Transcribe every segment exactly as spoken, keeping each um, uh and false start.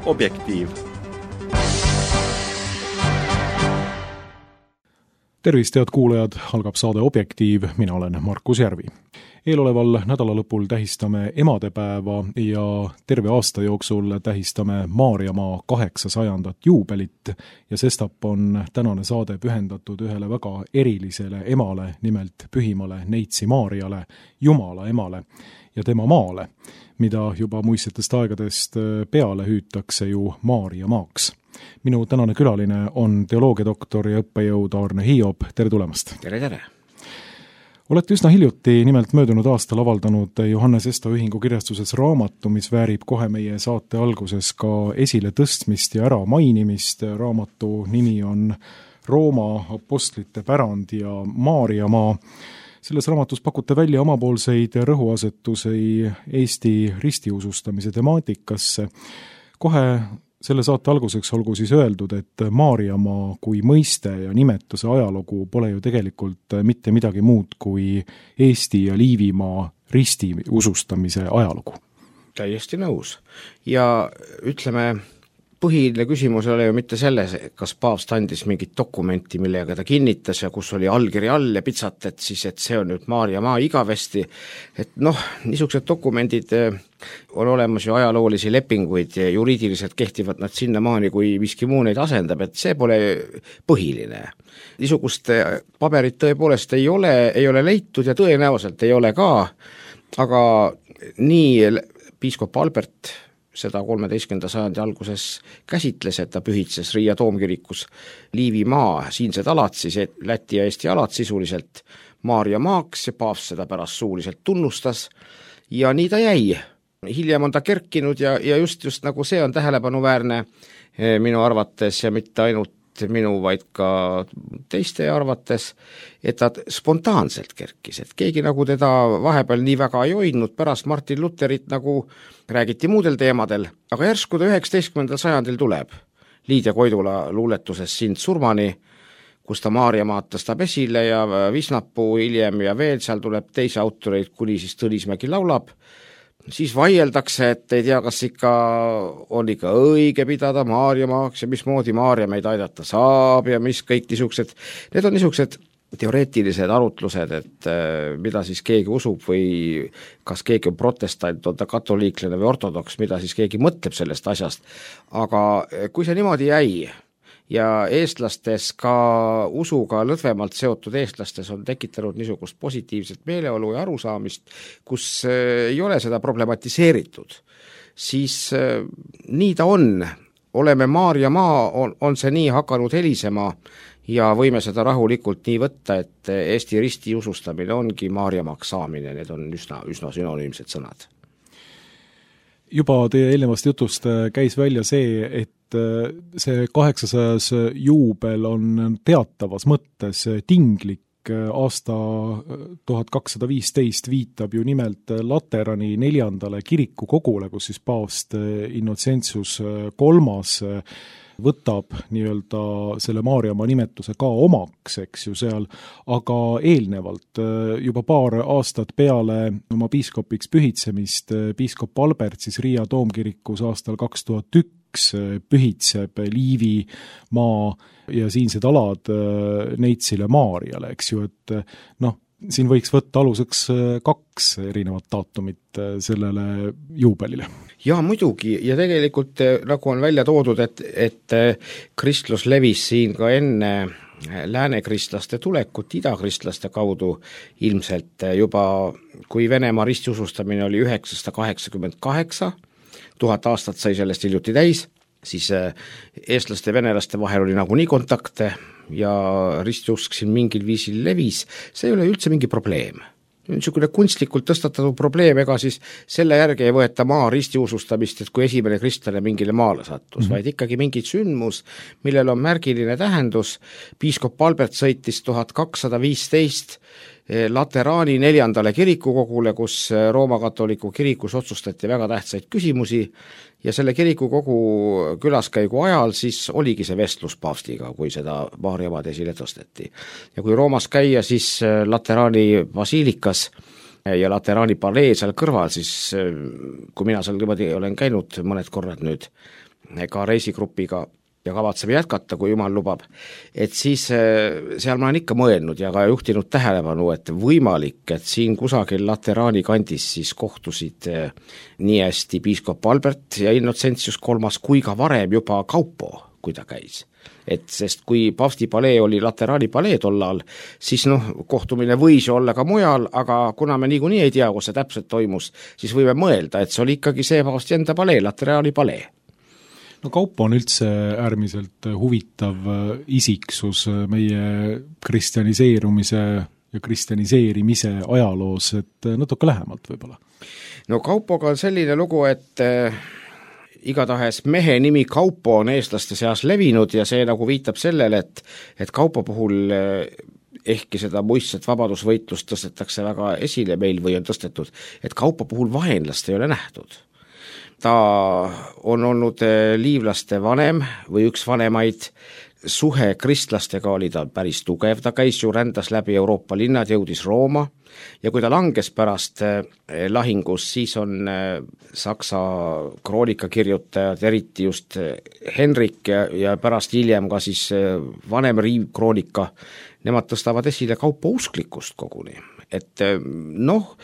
Objektiiv. Tervist, head kuulajad, algab saade Objektiiv, mina olen Markus Järvi. Eeloleval nädalalõpul tähistame emadepäeva ja terve aasta jooksul tähistame Maarjamaa kaheksasajandat juubelit ja sestap on tänane saade pühendatud ühele väga erilisele emale, nimelt pühimale Neitsi Maarjale, Jumala emale ja tema maale, mida juba muistsetest aegadest peale hüütakse ju Maarjamaaks. Minu tänane külaline on teoloogiadoktor ja õppejõud Arne Hiob. Tere tulemast! Tere, tere! Olete üsna hiljuti, nimelt möödunud aastal avaldanud Johannes Esto Ühingu kirjastuses raamatu, mis väärib kohe meie saate alguses ka esile tõstmist ja ära mainimist. Raamatu nimi on Rooma apostlite pärand ja Maarjamaa. Selles raamatus pakute välja omapoolseid rõhuasetusi Eesti ristiusustamise temaatikasse. Kohe selle saate alguseks olgu siis öeldud, et Maarjamaa kui mõiste ja nimetuse ajalugu pole ju tegelikult mitte midagi muud kui Eesti ja Liivimaa ristiusustamise ajalugu. Täiesti nõus. Ja ütleme, põhiline küsimus oli ju mitte selles, kas paavst andis mingit dokumenti, millega ta kinnitas ja kus oli allkiri all ja pitsat, et siis, et see on nüüd Maarjamaa igavesti. Et noh, niisugused dokumendid on olemas ju ajaloolisi lepinguid ja juriidiliselt kehtivad nad sinnamaani, kui miski muu neid asendab, et see pole põhiline. Niisugust paberit tõepoolest ei ole, ei ole leitud ja tõenäoliselt ei ole ka, aga nii piiskop Albert seda kolmeteistkümnenda sajandi alguses käsitles, et ta pühitses Riia toomkirikus Liivimaa, siinsed alad, siis Läti ja Eesti alad sisuliselt Maarjamaaks ja paavst seda pärast suuliselt tunnustas ja nii ta jäi. Hiljem on ta kerkinud ja, ja just, just nagu see on tähelepanuväärne minu arvates ja mitte ainult minu, vaid ka teiste arvates, et ta spontaanselt kerkis, et keegi nagu teda vahepeal nii väga ei hoidnud, pärast Martin Lutherit nagu räägiti muudel teemadel, aga järsku ta üheksateistkümnendal sajandil tuleb Liidia Koidula luuletuses Sind surmani, kus ta Maarjamaad tõstab esile ja Visnapuu hiljem ja veel seal tuleb teisi autoreid, kuni siis Tõnismägi laulab. Siis vaieldakse, et ei tea, kas ikka on ikka õige pidada Maarjamaaks ja mismoodi Maarja meid aidata saab ja mis kõik niisugused, need on niisugused teoreetilised arutlused, et mida siis keegi usub või kas keegi on protestant, on ta katoliiklane või ortodoks, mida siis keegi mõtleb sellest asjast. Aga kui see niimoodi jäi ja eestlastes ka usuga lõdvemalt seotud eestlastes on tekitanud niisugust positiivset meeleolu ja arusaamist, kus ei ole seda problematiseeritud, siis nii ta on. Oleme Maarjamaa, on, on see nii hakanud helisema ja võime seda rahulikult nii võtta, et Eesti risti usustamine ongi Maarjamaaks saamine, need on üsna, üsna synonüümsed sõnad. Juba teie eelnevast jutust käis välja see, et see kaheksasajas juubel on teatavas mõttes tinglik. Aasta tuhat kakssada viisteist viitab ju nimelt Laterani neljandale kirikukogule, kus siis paavst Innocentius kolmas võtab nii-öelda selle Maarjamaa nimetuse ka omaks, eks ju seal, aga eelnevalt juba paar aastat peale oma piiskopiks pühitsemist piiskop Albert siis Riia toomkirikus aastal kaks tuhat üks pühitseb Liivimaa ja siinsed alad Neitsile Maarjale, eks ju, et noh, siin võiks võtta aluseks kaks erinevat daatumit sellele juubelile. Ja muidugi, ja tegelikult nagu on välja toodud, et, et kristlus levis siin ka enne läänekristlaste tulekut idakristlaste kaudu ilmselt juba, kui Venemaa ristiusustamine oli üheksasada kaheksakümmend kaheksa, tuhat aastat sai sellest hiljuti täis, siis eestlaste ja venelaste vahel oli nagu nii kontakte ja ristiusk siin mingil viisil levis, see ei ole üldse mingi probleem. Niisugune kunstlikult tõstatatud probleem, ega siis selle järgi ei võeta maa ristiusustamist, et kui esimene kristlane mingile maale sattus, mm-hmm. vaid ikkagi mingi sündmus, millel on märgiline tähendus. Piiskop Albert sõitis tuhat kakssada viisteist Lateraani neljandale kirikukogule, kus Rooma katoliku kirikus otsustati väga tähtsaid küsimusi ja selle kirikukogu külaskäigu ajal siis oligi see vestlus paavstiga, kui seda Maarjamaad esile tõsteti. Ja kui Roomas käia, siis Lateraani basiilikas ja Lateraani palee seal kõrval, siis kui mina seal niimoodi olen käinud mõned korrad nüüd, ka reisigrupiga ja kavatseme jätkata, kui jumal lubab, et siis seal ma olen ikka mõelnud ja ka juhtinud tähelepanu, et võimalik, et siin kusagil Lateraani kandis siis kohtusid nii hästi piiskop Albert ja Innocentius kolmas kui ka varem juba Kaupo, kui ta käis. Et sest kui Paavsti palee oli Lateraani palee tollal, siis noh, kohtumine võis olla ka mujal, aga kuna me niikuinii ei tea, kus see täpselt toimus, siis võime mõelda, et see oli ikkagi see Paavsti enda palee, Lateraani palee. No Kaupo on üldse äärmiselt huvitav isiksus meie kristjaniseerumise ja kristjaniseerimise ajaloos, et natuke lähemalt võib-olla. No Kaupoga on selline lugu, et igatahes mehe nimi Kaupo on eestlaste seas levinud ja see nagu viitab sellele, et, et Kaupo puhul ehkki seda muistset vabadusvõitlust tõstetakse väga esile meil või on tõstetud, et Kaupo puhul vaenlast ei ole nähtud. Ta on olnud liivlaste vanem või üks vanemaid, suhe kristlastega oli ta päris tugev, ta käis ju rändas läbi Euroopa linnad, jõudis Rooma ja kui ta langes pärast lahingus, siis on Saksa kroonikakirjutajad, eriti just Henrik ja, ja pärast hiljem ka siis vanem riivkroonika, nemad tõstavad esile Kaupo usklikkust koguni. Et noh,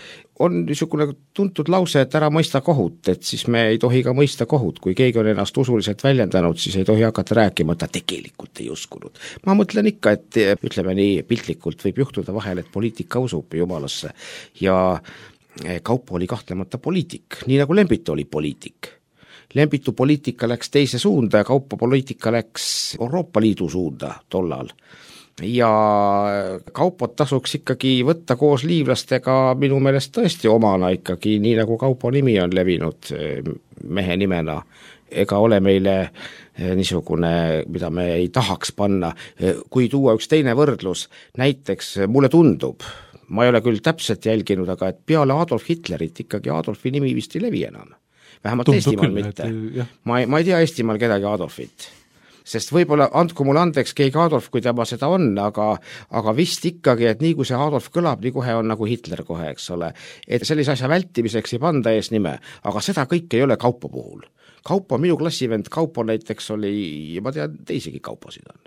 on niisugune tuntud lause, et ära mõista kohut, et siis me ei tohi ka mõista kohut, kui keegi on ennast usuliselt väljendanud, siis ei tohi hakata rääkima, et ta tegelikult ei uskunud. Ma mõtlen ikka, et ütleme nii piltlikult võib juhtuda vahel, et poliitika usub jumalasse ja Kaupo oli kahtlemata poliitik, nii nagu Lembitu oli poliitik. Lembitu poliitika läks teise suunda ja Kaupo poliitika läks Euroopa Liidu suunda tollal. Ja Kaupot tasuks ikkagi võtta koos liivlastega minu meelest tõesti omana ikkagi, nii nagu Kaupo nimi on levinud mehe nimena, ega ole meile niisugune, mida me ei tahaks panna. Kui tuua üks teine võrdlus, näiteks mulle tundub, ma ei ole küll täpselt jälginud, aga et peale Adolf Hitlerit ikkagi Adolfi nimi vist ei levi enam. Vähemalt Tundub Eestimaal küll, mitte. Et, ma, ei, ma ei tea Eestimaal kedagi Adolfit. Sest võib-olla andku mulle andeks keegi Adolf, kui tema seda on, aga, aga vist ikkagi, et nii kui see Adolf kõlab, nii kohe on nagu Hitler kohe, eks ole. Et sellise asja vältimiseks ei panda ees nime, aga seda kõik ei ole Kaupo puhul. Kaupo, minu klassivend Kaupo näiteks oli, ja ma tean, teisigi Kauposid on.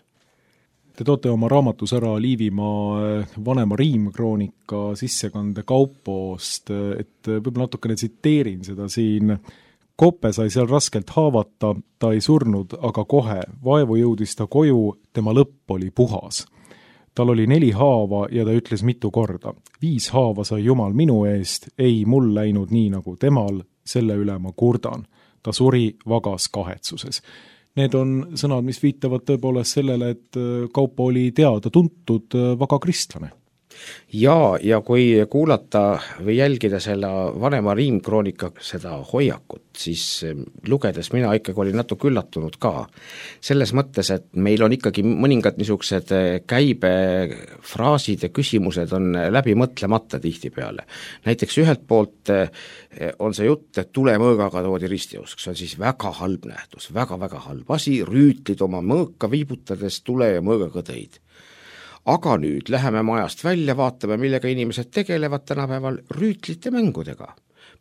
Te toote oma raamatus ära Liivimaa vanema riimkroonika sissekande Kaupost, et võib-olla natukene tsiteerin seda siin. Koppe sai seal raskelt haavata, ta ei surnud, aga kohe, vaevu jõudis ta koju, tema lõpp oli puhas. Tal oli neli haava ja ta ütles mitu korda. Viis haava sai Jumal minu eest, ei mul läinud nii nagu temal, selle üle ma kurdan. Ta suri vagas kahetsuses. Need on sõnad, mis viitavad tõepoolest sellele, et Kaupo oli teada tuntud vaga kristlane. Ja, ja kui kuulata või jälgida selle vanema riimkroonika seda hoiakut, siis lugedes mina ikkagi olin natuke üllatunud ka. Selles mõttes, et meil on ikkagi mõningad niisugused käibefraasid ja küsimused on läbi mõtlemata tihtipeale. Näiteks ühelt poolt on see jutt, et tulemõõgaga toodi ristiusk, see on siis väga halb nähtus, väga-väga halb asi, rüütlid oma mõõka viibutades tule ja mõõgaga tõid. Aga nüüd läheme majast välja, vaatame, millega inimesed tegelevad tänapäeval rüütlite mängudega.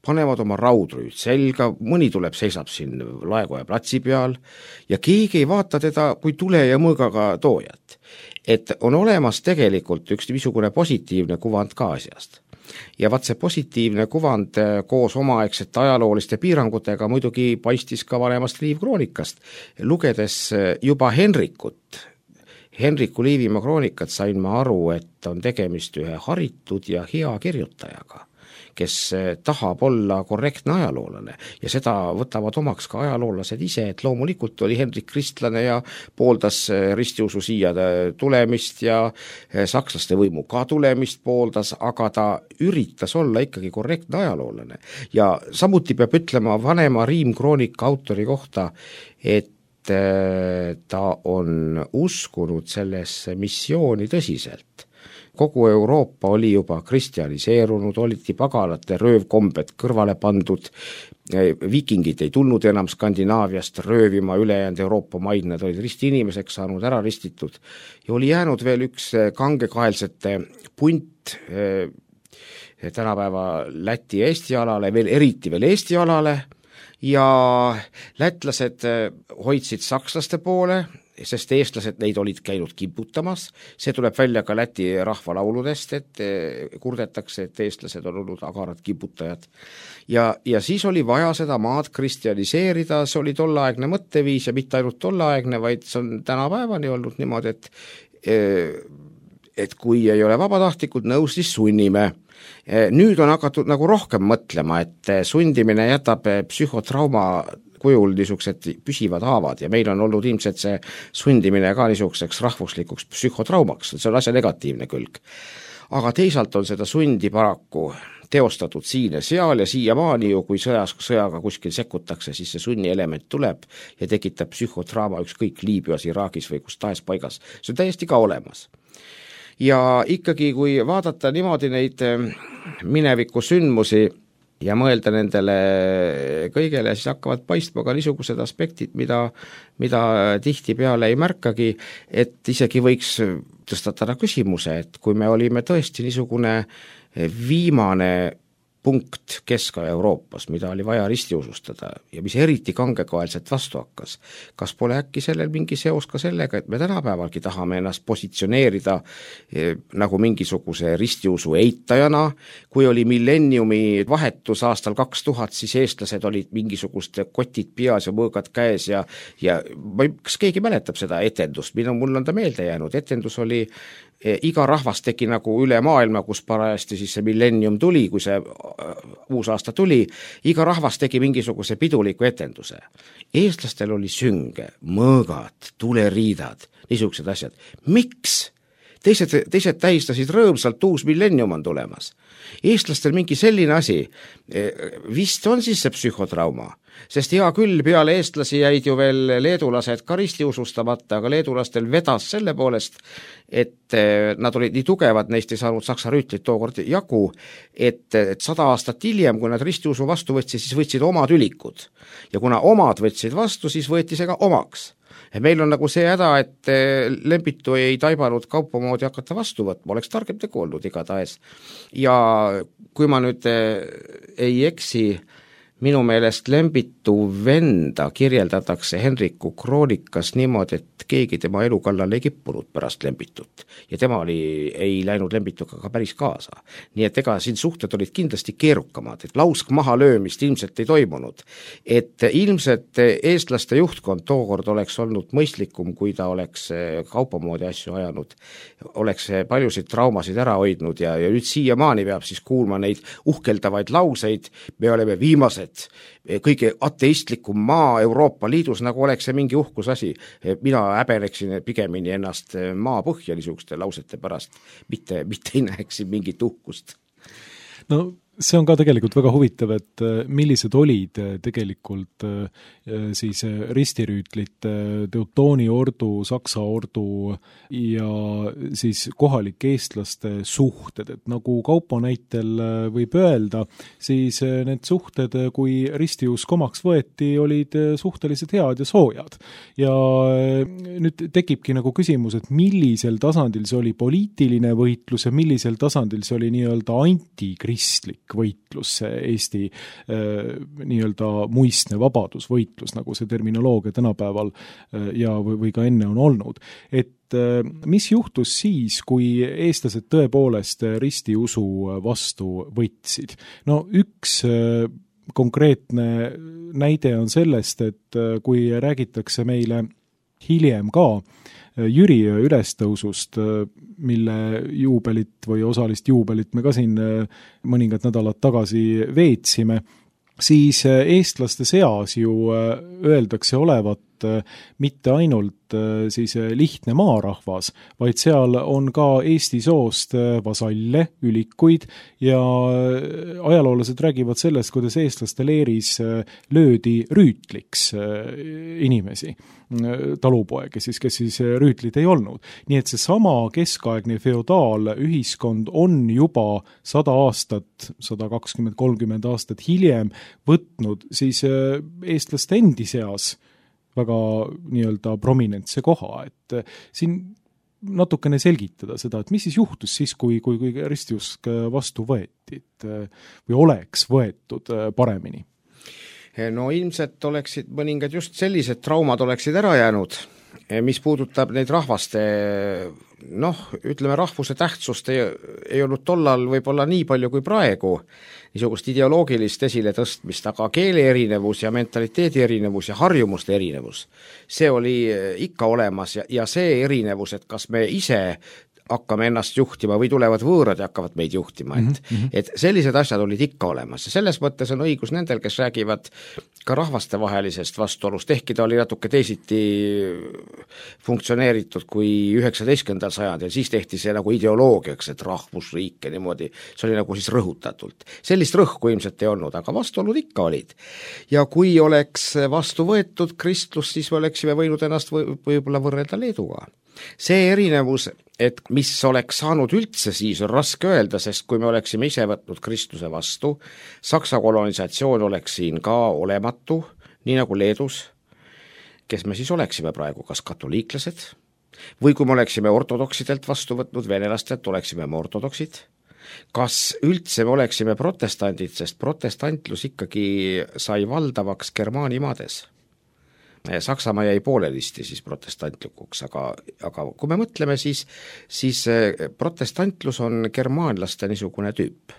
Panevad oma raudrüüt selga, mõni tuleb, seisab siin Laekoja platsi peal ja keegi ei vaata teda kui tule ja mõõgaga toojat. Et on olemas tegelikult üks niisugune positiivne kuvand ka asjast. Ja vaat see positiivne kuvand koos omaaegsete ajalooliste piirangutega muidugi paistis ka vanemast riivkroonikast. Lugedes juba Henrikut, Henriku Liivimaa kroonikat sain ma aru, et on tegemist ühe haritud ja hea kirjutajaga, kes tahab olla korrektne ajaloolane ja seda võtavad omaks ka ajaloolased ise, et loomulikult oli Henrik kristlane ja pooldas ristiusu siia tulemist ja sakslaste võimu ka tulemist pooldas, aga ta üritas olla ikkagi korrektne ajaloolane. Ja samuti peab ütlema vanema riimkroonika autori kohta, et ta on uskunud sellesse missiooni tõsiselt. Kogu Euroopa oli juba kristjaniseerunud, oliti pagalate röövkombed kõrvale pandud, vikingid ei tulnud enam Skandinaaviast röövima ülejäänud Euroopa maid, nad olid risti inimeseks saanud, ära ristitud ja oli jäänud veel üks kangekaelsete punt tänapäeva Läti Eesti alale, veel eriti veel Eesti alale ja lätlased hoidsid sakslaste poole, sest eestlased neid olid käinud kibutamas, see tuleb välja ka Läti rahvalauludest, et kurdetakse, et eestlased on olnud agarad kibutajad. Ja, ja siis oli vaja seda maad kristjaniseerida, see oli tolleaegne mõtteviis ja mitte ainult tolleaegne, vaid see on tänapäevani olnud niimoodi, et, et kui ei ole vabatahtlikult nõus, siis sunnime. Nüüd on hakatud nagu rohkem mõtlema, et sundimine jätab psühhotrauma kujul niisugused püsivad haavad ja meil on olnud ilmselt see sundimine ka niisuguseks rahvuslikuks psühhotraumaks, see on asja negatiivne külg. Aga teisalt on seda sundi paraku teostatud siin ja seal ja siiamaani ju, kui sõjas, sõjaga kuskil sekkutakse, siis see sunni element tuleb ja tekitab psühhotrauma ükskõik Liibüas, Iraagis või kus tahes paigas. See on täiesti ka olemas. Ja ikkagi, kui vaadata niimoodi neid mineviku sündmusi ja mõelda nendele kõigele, siis hakkavad paistma ka niisugused aspektid, mida, mida tihtipeale ei märkagi, et isegi võiks tõstatada küsimuse, et kui me olime tõesti niisugune viimane punkt Kesk-Euroopas, mida oli vaja ristiusustada ja mis eriti kangekaelselt vastu hakkas. Kas pole äkki sellel mingi seos ka sellega, et me tänapäevalgi tahame ennast positsioneerida eh, nagu mingisuguse ristiusu eitajana, kui oli millenniumi vahetus aastal kaks tuhat, siis eestlased olid mingisugust kotid peas ja mõõgad käes ja, ja kas keegi mäletab seda etendust, minu mul on ta meelde jäänud, etendus oli iga rahvas tegi nagu üle maailma, kus parajasti siis see millennium tuli, kui see uus aasta tuli, iga rahvas tegi mingisuguse piduliku etenduse. Eestlastel oli sünge, mõõgad, tuleriidad, niisugused asjad. Miks? Teised, teised tähistasid rõõmsalt, uus millennium on tulemas. Eestlastel mingi selline asi, vist on siis see psühhotrauma, sest hea küll, peale eestlasi jäid ju veel leedulased ka ristiusustamata, aga leedulastel vedas selle poolest, et nad olid nii tugevad, neist ei saanud saksa rüütlit tookord jagu, et, et sada aastat hiljem, kui nad ristiusu vastu võtsid, siis võtsid omad ülikud. Ja kuna omad võtsid vastu, siis võeti see ka omaks. Meil on nagu see häda, et Lembitu ei taibanud kaupa moodi hakata vastu võtma, oleks targem tegu olnud igatahes. Ja kui ma nüüd ei eksi, minu meelest Lembitu venda kirjeldatakse Henriku kroonikas niimoodi, et keegi tema elu kallal ei kippunud pärast Lembitut ja tema oli, ei läinud Lembituga ka päris kaasa. Nii et ega siin suhted olid kindlasti keerukamad, et lausk maha löömist ilmselt ei toimunud. Et ilmselt eestlaste juhtkond tookord oleks olnud mõistlikum, kui ta oleks kaupamoodi asju ajanud, oleks paljusid traumasid ära hoidnud ja, ja nüüd siiamaani peab siis kuulma neid uhkeldavaid lauseid, me oleme viimased kõige ateistlikum maa Euroopa Liidus, nagu oleks see mingi uhkus asi. Mina häbeneksin pigemini ennast maa põhja niisuguste lausete pärast, mitte, mitte ei näeksin mingit uhkust. No see on ka tegelikult väga huvitav, et millised olid tegelikult siis ristirüütlite, Teutooni ordu, Saksa ordu ja siis kohalike eestlaste suhted, et nagu Kaupo näitel võib öelda, siis need suhted, kui ristiusk omaks võeti, olid suhteliselt head ja soojad. Ja nüüd tekibki nagu küsimus, et millisel tasandil see oli poliitiline võitlus ja millisel tasandil see oli nii-öelda antikristlik võitlus, see Eesti äh, nii-öelda muistne vabadusvõitlus, nagu see terminoloogia tänapäeval äh, ja või, või ka enne on olnud. Et äh, mis juhtus siis, kui eestlased tõepoolest ristiusu vastu võtsid? No üks äh, konkreetne näide on sellest, et äh, kui räägitakse meile hiljem ka Jüri ülestõusust, mille juubelit või osalist juubelit me ka siin mõningad nädalad tagasi veetsime, siis eestlaste seas ju öeldakse olevat mitte ainult siis lihtne maarahvas, vaid seal on ka Eesti soost vasalle, ülikuid ja ajaloolased räägivad sellest, kuidas eestlaste leeris löödi rüütliks inimesi, talupoegi, siis, kes siis rüütlit ei olnud. Nii et see sama keskaegne feodaalühiskond on juba sada aastat, sada kakskümmend kolmkümmend aastat hiljem võtnud siis eestlaste endi seas väga nii-öelda prominentse koha, et siin natukene selgitada seda, et mis siis juhtus siis, kui, kui, kui ristiusk vastu võeti, et või oleks võetud paremini? no ilmselt oleksid mõningad just sellised traumad oleksid ära jäänud, mis puudutab neid rahvaste, noh, ütleme rahvuse tähtsust ei, ei olnud tollal võib-olla nii palju kui praegu, niisugust ideoloogilist esile tõstmist, aga keele erinevus ja mentaliteedi erinevus ja harjumuste erinevus, see oli ikka olemas ja, ja see erinevus, et kas me ise hakkame ennast juhtima või tulevad võõrad ja hakkavad meid juhtima, et, mm-hmm. et sellised asjad olid ikka olemas ja selles mõttes on õigus nendel, kes räägivad ka rahvastevahelisest vastuolust, ehkki ta oli natuke teisiti funktsioneeritud kui üheksateistkümnendal sajandil, siis tehti see nagu ideoloogiaks, et rahvusriik ja niimoodi, see oli nagu siis rõhutatult. Sellist rõhku ilmselt ei olnud, aga vastuolud ikka olid. Ja kui oleks vastu võetud kristlus, siis me oleksime võinud ennast või, võib-olla võrrelda Leeduga. See erinevus, et mis oleks saanud üldse siis, on raske öelda, sest kui me oleksime ise võtnud kristluse vastu, Saksa kolonisatsioon oleks siin ka olematu, nii nagu Leedus, kes me siis oleksime praegu, kas katoliiklased, või kui me oleksime ortodoksidelt vastu võtnud, venelastelt oleksime me ortodoksid, kas üldse me oleksime protestandid, sest protestantlus ikkagi sai valdavaks Germaani maades. Saksamaa jäi poolelisti siis protestantlikuks, aga, aga kui me mõtleme, siis, siis protestantlus on germaanlaste niisugune tüüp.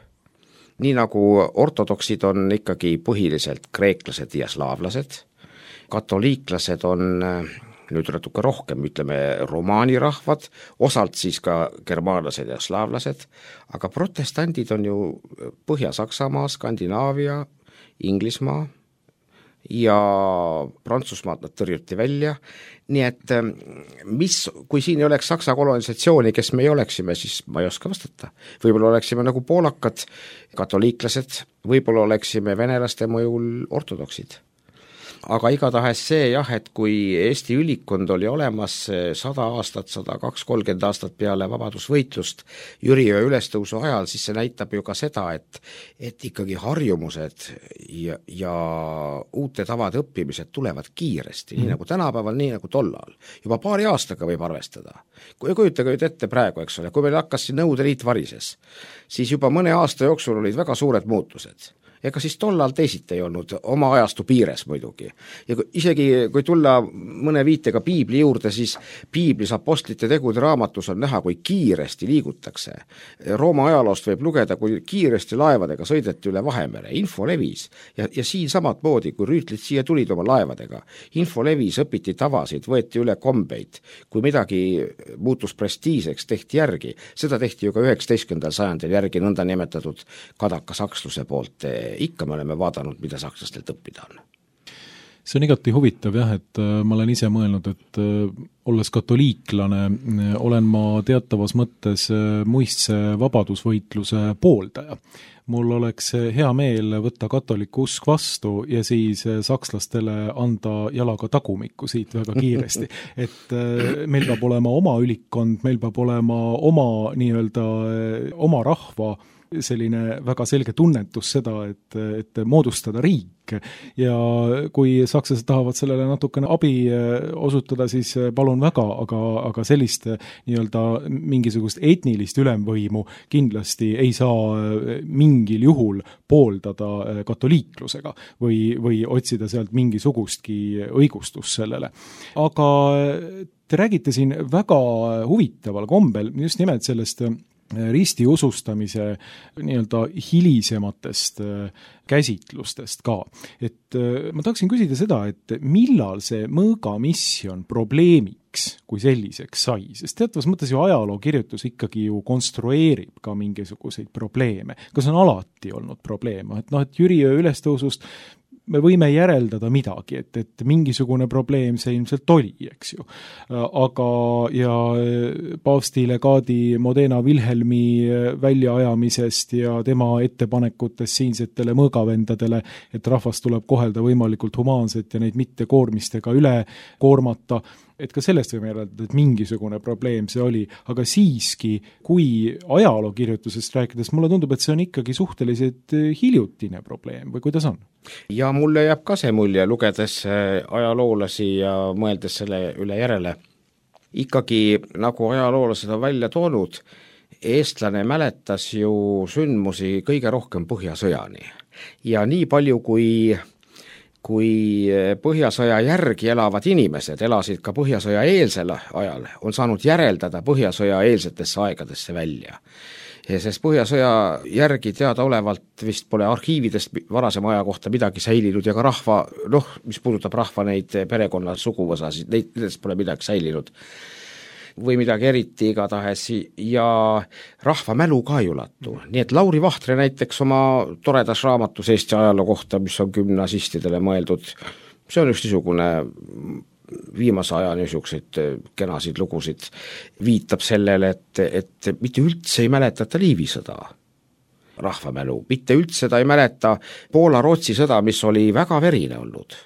Nii nagu ortodoksid on ikkagi põhiliselt kreeklased ja slaavlased, katoliiklased on nüüd natuke rohkem, ütleme, romaani rahvad, osalt siis ka germaanlased ja slaavlased, aga protestandid on ju Põhja-Saksamaa, Skandinaavia, Inglismaa, ja Prantsusmaad nad tõrjuti välja, nii et mis, kui siin ei oleks Saksa kolonisatsiooni, kes me ei oleksime, siis ma ei oska vastata. Võib-olla oleksime nagu poolakad, katoliiklased, võib-olla oleksime venelaste mõjul ortodoksid. Aga igatahes see jah, et kui Eesti ülikond oli olemas sada aastat, sada kaks kolmkümmend aastat peale vabadusvõitlust Jüriöö ülestõusu ajal, siis see näitab ju ka seda, et, et ikkagi harjumused ja, ja uute tavade õppimised tulevad kiiresti, mm. nii nagu tänapäeval, nii nagu tollal. Juba paari aastaga võib arvestada. Kui kujutage nüüd ette praegu, eks ole, kui meil hakkas siin Nõukogude Liit varises, siis juba mõne aasta jooksul olid väga suured muutused. Ega siis tollal teisiti ei olnud, oma ajastu piires muidugi. Ja kui, isegi kui tulla mõne viitega piibli juurde, siis piiblis apostlite tegude raamatus on näha, kui kiiresti liigutakse. Rooma ajaloost võib lugeda, kui kiiresti laevadega sõideti üle Vahemere, info levis. Ja, ja siin samad moodi, kui rüütlid siia tulid oma laevadega, info levis, õpiti tavasid, võeti üle kombeid. Kui midagi muutus prestiiseks, tehti järgi. Seda tehti ju ka üheksateistkümnendal sajandil järgi nõnda nimetatud kadaka saksluse poolt. Ikka me oleme vaadanud, mida sakslastelt õppida on. See on igati huvitav jah, et ma olen ise mõelnud, et olles katoliiklane, olen ma teatavas mõttes muistse vabadusvõitluse pooldaja. Mul oleks hea meel võtta katoliku usk vastu ja siis sakslastele anda jalaga tagumikku siit väga kiiresti. Et meil peab olema oma ülikond, meil peab olema oma nii-öelda oma rahva selline väga selge tunnetus seda, et, et moodustada riik ja kui sakslased tahavad sellele natukene abi osutada, siis palun väga, aga, aga sellist nii-öelda mingisugust etnilist ülemvõimu kindlasti ei saa mingil juhul pooldada katoliiklusega või, või otsida sealt mingisugustki õigustust sellele. Aga te räägite siin väga huvitaval kombel just nimelt sellest ristiusustamise nii-öelda hilisematest käsitlustest ka. Et ma tahaksin küsida seda, et millal see mõõgamisjon probleemiks kui selliseks sai, sest teatavas mõttes ju ajalookirjutus ikkagi ju konstrueerib ka mingisuguseid probleeme. Kas on alati olnud probleeme? Et noh, et Jüriöö ülestõusust me võime järeldada midagi, et, et mingisugune probleem see ilmselt oli, eks ju. Aga ja paavsti legaadi Modena Wilhelmi väljaajamisest ja tema ettepanekutest siinsetele mõõgavendadele, et rahvas tuleb kohelda võimalikult humaanselt ja neid mitte koormistega üle koormata, et ka sellest võime järeldada, et mingisugune probleem see oli, aga siiski, kui ajalookirjutusest rääkides, mulle tundub, et see on ikkagi suhteliselt hiljutine probleem või kuidas on? Ja mulle jääb ka see mulje, lugedes ajaloolasi ja mõeldes selle üle järele. Ikkagi, nagu ajaloolased on välja toonud, eestlane mäletas ju sündmusi kõige rohkem Põhjasõjani. Ja nii palju, kui kui Põhjasõja järgi elavad inimesed elasid ka Põhjasõja eelsel ajal, on saanud järeldada Põhjasõja eelsetesse aegadesse välja. Sest Põhjasõja järgi teadaolevalt vist pole arhiividest varasema aja kohta midagi säilinud ja ka rahva, noh, mis puudutab rahva neid perekonna suguvõsasid, neist pole midagi säilinud või midagi eriti igatahes ja rahva mälu ka ei ulatu. Nii et Lauri Vahtre näiteks oma toredas raamatus Eesti ajaloo kohta, mis on gümnasistidele mõeldud, see on üks niisugune viimase aja niisuguseid kenasid lugusid, viitab sellele, et, et mitte üldse ei mäletata Liivi sõda, rahvamälu, mitte üldse ta ei mäleta Poola-Rootsi sõda, mis oli väga verine olnud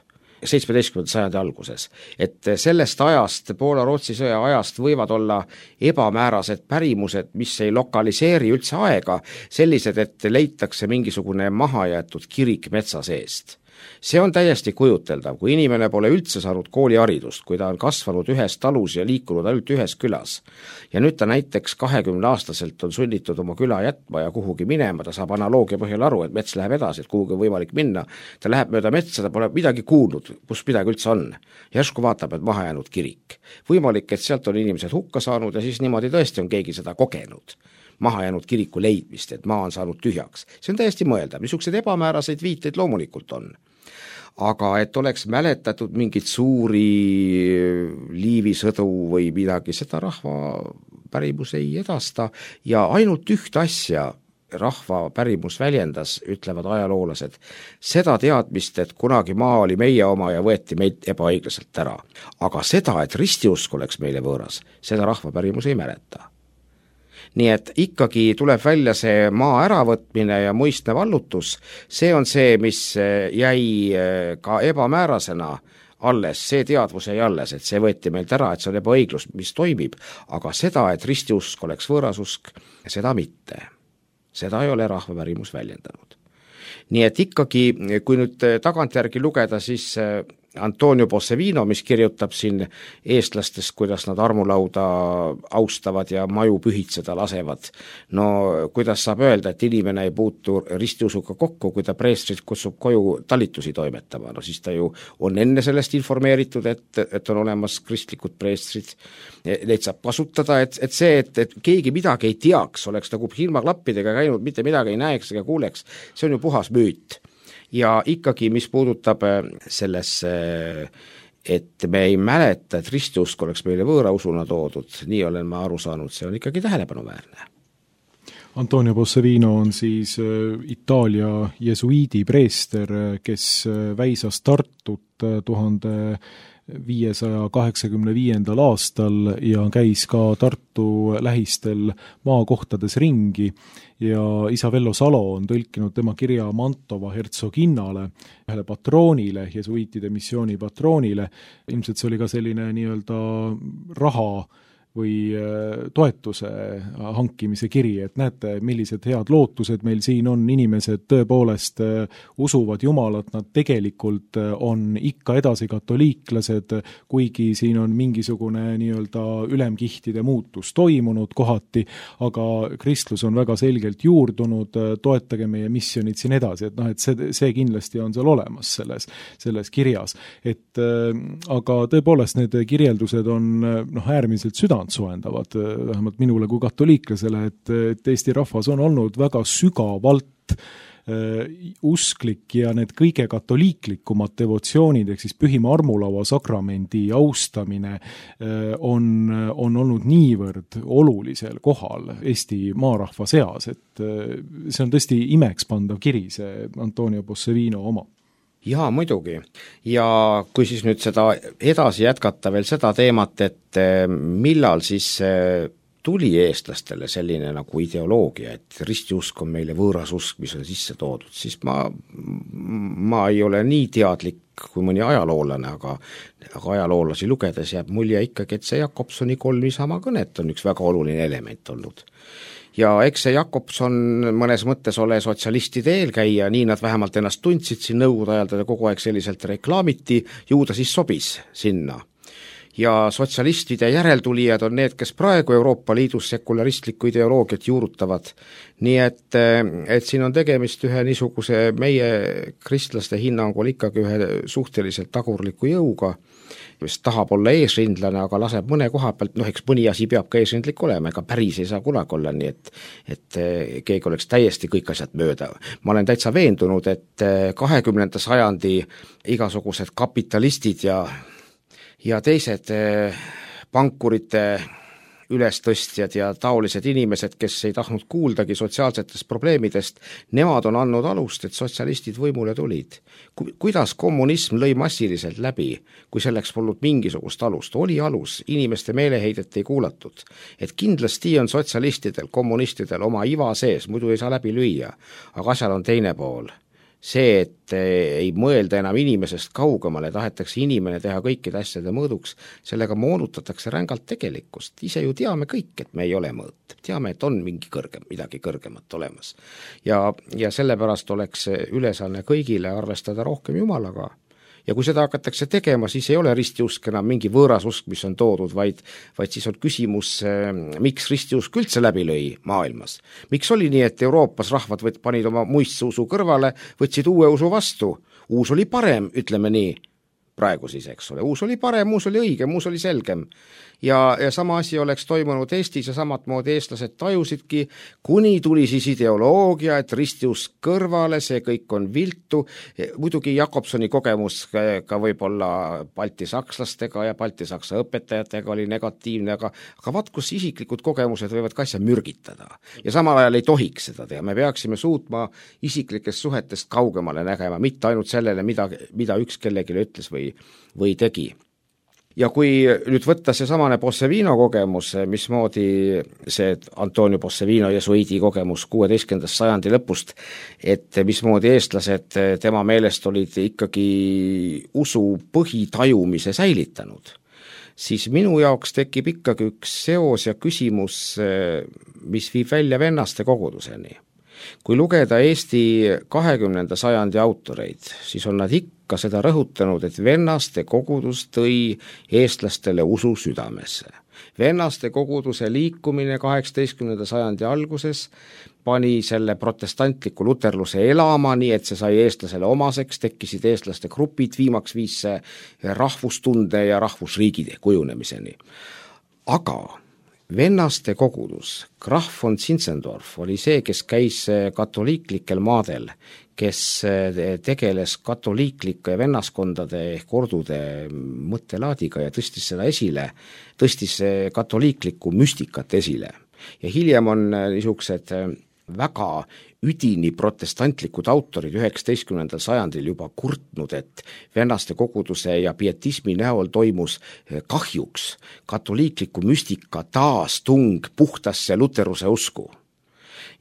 seitsmeteistkümnenda sajandi alguses, et sellest ajast, Poola-Rootsi sõja ajast võivad olla ebamäärased pärimused, mis ei lokaliseeri üldse aega, sellised, et leitakse mingisugune mahajäetud kirik metsa seest. See on täiesti kujuteldav, kui inimene pole üldse saanud kooliharidust, kui ta on kasvanud ühes talus ja liikunud ainult ühes külas. Ja nüüd ta näiteks kahekümne aastaselt on sunnitud oma küla jätma ja kuhugi minema, ta saab analoogia põhjal aru, et mets läheb edasi, et kuhugi on võimalik minna, ta läheb mööda metsa, ta pole midagi kuulnud, kus midagi üldse on. Järsku vaatab, et maha jäänud kirik. Võimalik, et sealt on inimesed hukka saanud ja siis niimoodi tõesti on keegi seda kogenud. Maha jäänud kiriku leidmist, et maa on saanud tühjaks. See on täiesti mõeldav, niisugused ebamääraseid viiteid loomulikult on. Aga et oleks mäletatud mingit suuri Liivi sõdu või midagi, seda rahva pärimus ei edasta ja ainult üht asja rahva pärimus väljendas, ütlevad ajaloolased, seda teadmist, et kunagi maa oli meie oma ja võeti meid ebaõiglaselt ära. Aga seda, et ristiusk oleks meile võõras, seda rahva pärimus ei mäleta. Nii et ikkagi tuleb välja see maa äravõtmine ja muistne vallutus, see on see, mis jäi ka ebamäärasena alles, see teadvus jäi alles, et see võeti meilt ära, et see on ebaõiglus, mis toimib, aga seda, et ristiusk oleks võõrasusk, seda mitte. Seda ei ole rahva pärimus väljendanud. Nii et ikkagi, kui nüüd tagantjärgi lugeda, siis Antonio Bossevino, mis kirjutab siin eestlastest, kuidas nad armulauda austavad ja maju pühitseda lasevad. No kuidas saab öelda, et inimene ei puutu ristiusuga kokku, kui ta preestrit kutsub koju talitusi toimetama, no siis ta ju on enne sellest informeeritud, et, et on olemas kristlikud preestrid, neid saab kasutada, et, et see, et, et keegi midagi ei teaks, oleks nagu ilmaklappidega käinud, mitte midagi ei näeks ega kuuleks, see on ju puhas müüt. Ja ikkagi, mis puudutab sellesse, et me ei mäleta, et ristiusk oleks meile võõra usuna toodud, nii olen ma aru saanud, see on ikkagi tähelepanuväärne. Antonio Bossevino on siis Itaalia jesuiidi preester, kes väisas Tartut tuhande viiesaja kaheksakümne viiendal aastal ja käis ka Tartu lähistel maakohtades ringi ja isa Vello Salo on tõlkinud tema kirja Mantova hertsoginnale, ühele patroonile, jesuiitide missiooni patroonile. Ilmselt see oli ka selline nii-öelda raha või toetuse hankimise kiri, et näete, millised head lootused meil siin on, inimesed tõepoolest usuvad Jumalat, nad tegelikult on ikka edasi katoliiklased, kuigi siin on mingisugune nii-öelda ülemkihtide muutus toimunud kohati, aga kristlus on väga selgelt juurdunud, toetage meie missionid siin edasi, et noh, et see, see kindlasti on seal olemas selles, selles kirjas. Et aga tõepoolest need kirjeldused on noh, äärmiselt süda soendavad, vähemalt minule kui katoliiklasele, et, et Eesti rahvas on olnud väga sügavalt äh, usklik ja need kõige katoliiklikumad devotsioonid, ehk siis Pühima armulaua sakramendi austamine äh, on, on olnud niivõrd olulisel kohal Eesti maarahva seas, et äh, see on tõesti imekspandav kiri, see Antonio Bossevino oma. Jaa, muidugi. Ja kui siis nüüd seda edasi jätkata veel seda teemat, et millal siis tuli eestlastele selline nagu ideoloogia, et ristiusk on meile võõras usk, mis on sisse toodud, siis ma, ma ei ole nii teadlik kui mõni ajaloolane, aga, aga ajaloolasi lugedes jääb mulje ikkagi, et see Jakobsoni kolm Isamaa kõnet on üks väga oluline element olnud. Ja eks see Jakobson mõnes mõttes ole sotsialistide eelkäija, nii nad vähemalt ennast tundsid siin nõukogude ajal, teda kogu aeg selliselt reklaamiti, ju ta siis sobis sinna. ja sotsialistide järeltulijad on need, kes praegu Euroopa Liidus sekularistlikku ideoloogiat juurutavad. Nii et, et siin on tegemist ühe niisuguse meie kristlaste hinnangul ikkagi ühe suhteliselt tagurliku jõuga, mis tahab olla eesrindlane, aga laseb mõne koha pealt, noh eks mõni asi peab ka eesrindlik olema, ega päris ei saa kunagi olla nii, et, et keegi oleks täiesti kõik asjad mööda. Ma olen täitsa veendunud, et kahekümnenda sajandi igasugused kapitalistid ja, ja teised pankurite ülestõstjad ja taolised inimesed, kes ei tahtnud kuuldagi sotsiaalsetest probleemidest, nemad on andnud alust, et sotsialistid võimule tulid. Kuidas kommunism lõi massiliselt läbi, kui selleks polnud mingisugust alust? Oli alus, inimeste meeleheidet ei kuulatud. Et kindlasti on sotsialistidel, kommunistidel oma iva sees, muidu ei saa läbi lüüa, aga asjal on teine pool. See, et ei mõelda enam inimesest kaugemale, tahetakse inimene teha kõikide asjade mõõduks, sellega moonutatakse rängalt tegelikkust. Ise ju teame kõik, et me ei ole mõõt. Teame, et on mingi kõrgem, midagi kõrgemat olemas. Ja, ja sellepärast oleks ülesanne kõigile arvestada rohkem Jumalaga. Ja kui seda hakatakse tegema, siis ei ole ristiusk enam mingi võõras usk, mis on toodud, vaid, vaid siis on küsimus, miks ristiusk üldse läbi lõi maailmas. Miks oli nii, et Euroopas rahvad võt, panid oma muistse usu kõrvale, võtsid uue usu vastu. Uus oli parem, ütleme nii, praegu siis, eks ole. Uus oli parem, uus oli õigem, uus oli selgem. Ja, ja sama asi oleks toimunud Eestis ja samat moodi eestlased tajusidki, kuni tuli siis ideoloogia, et ristiusk kõrvale, see kõik on viltu. Muidugi Jakobsoni kogemus ka võib-olla baltisakslastega ja baltisaksa õpetajatega oli negatiivne, aga, aga vaat kus isiklikud kogemused võivad ka asja mürgitada. Ja samal ajal ei tohiks seda teha. Me peaksime suutma isiklikest suhetest kaugemale nägema, mitte ainult sellele, mida, mida üks kellegile ütles või, või tegi. Ja kui nüüd võtta see samane Bossevino kogemus, mismoodi see Antonio Bossevino jesuidi kogemus kuueteistkümnenda sajandi lõpust, et mismoodi eestlased tema meelest olid ikkagi usu põhitajumise säilitanud, siis minu jaoks tekib ikkagi üks seos ja küsimus, mis viib välja vennaste koguduseni. Kui lugeda Eesti kahekümnenda sajandi autoreid, siis on nad ikka seda rõhutanud, et vennaste kogudus tõi eestlastele usu südamesse. Vennaste koguduse liikumine kaheksateistkümnenda sajandi alguses pani selle protestantliku luterluse elama, nii et see sai eestlasele omaseks, tekkisid eestlaste grupid, viimaks viis rahvustunde ja rahvusriigi kujunemiseni. Aga vennaste kogudus, Graf von Zinzendorf oli see, kes käis katoliiklikel maadel, kes tegeles katoliiklike vennaskondade ehk ordude mõttelaadiga ja tõstis seda esile, tõstis katoliiklikku müstikat esile. Ja hiljem on niisugused väga üdini protestantlikud autorid üheksateistkümnendal sajandil juba kurtnud, et vennaste koguduse ja pietismi näol toimus kahjuks katoliikliku müstika taastung puhtasse luteruse usku.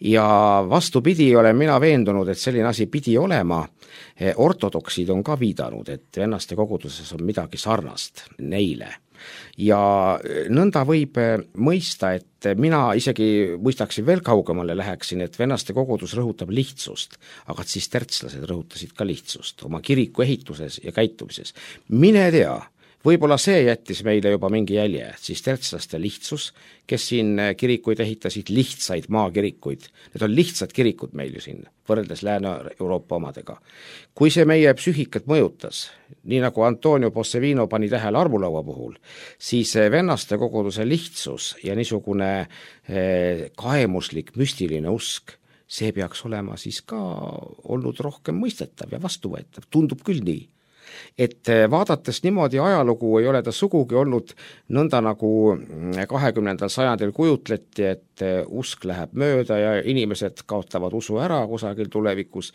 Ja vastupidi olen mina veendunud, et selline asi pidi olema. Ortodoksid on ka viidanud, et vennaste koguduses on midagi sarnast neile. Ja nõnda võib mõista, et mina isegi mõistaksin veel kaugemale läheksin, et vennaste kogudus rõhutab lihtsust, aga siis tertslased rõhutasid ka lihtsust oma kiriku ehituses ja käitumises. Mine tea, võib-olla see jättis meile juba mingi jälje, siis tertslaste lihtsus, kes siin kirikuid ehitasid, lihtsaid maakirikuid. Need on lihtsad kirikud meil ju siin, võrreldes Lääne-Euroopa omadega. Kui see meie psüühikat mõjutas, nii nagu Antonio Bossevino pani tähele armulaua puhul, siis vennaste koguduse lihtsus ja niisugune kaemuslik, müstiline usk, see peaks olema siis ka olnud rohkem mõistetav ja vastuvõetav, tundub küll nii. Et vaadates niimoodi ajalugu ei ole ta sugugi olnud nõnda nagu kahekümnendal sajandil kujutleti, et usk läheb mööda ja inimesed kaotavad usu ära kusagil tulevikus.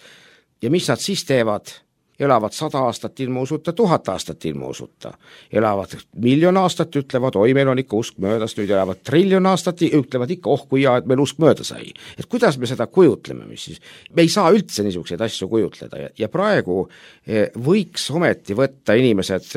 Ja mis nad siis teevad? Elavad sada aastat ilma usuta, tuhat aastat ilma usuta. Elavad miljon aastat, ütlevad, oi, meil on ikka usk möödas, nüüd elavad triljon aastat, ütlevad ikka, oh kui hea, et meil usk mööda sai. Et kuidas me seda kujutleme, mis siis? Me ei saa üldse niisuguseid asju kujutleda ja, ja praegu võiks ometi võtta inimesed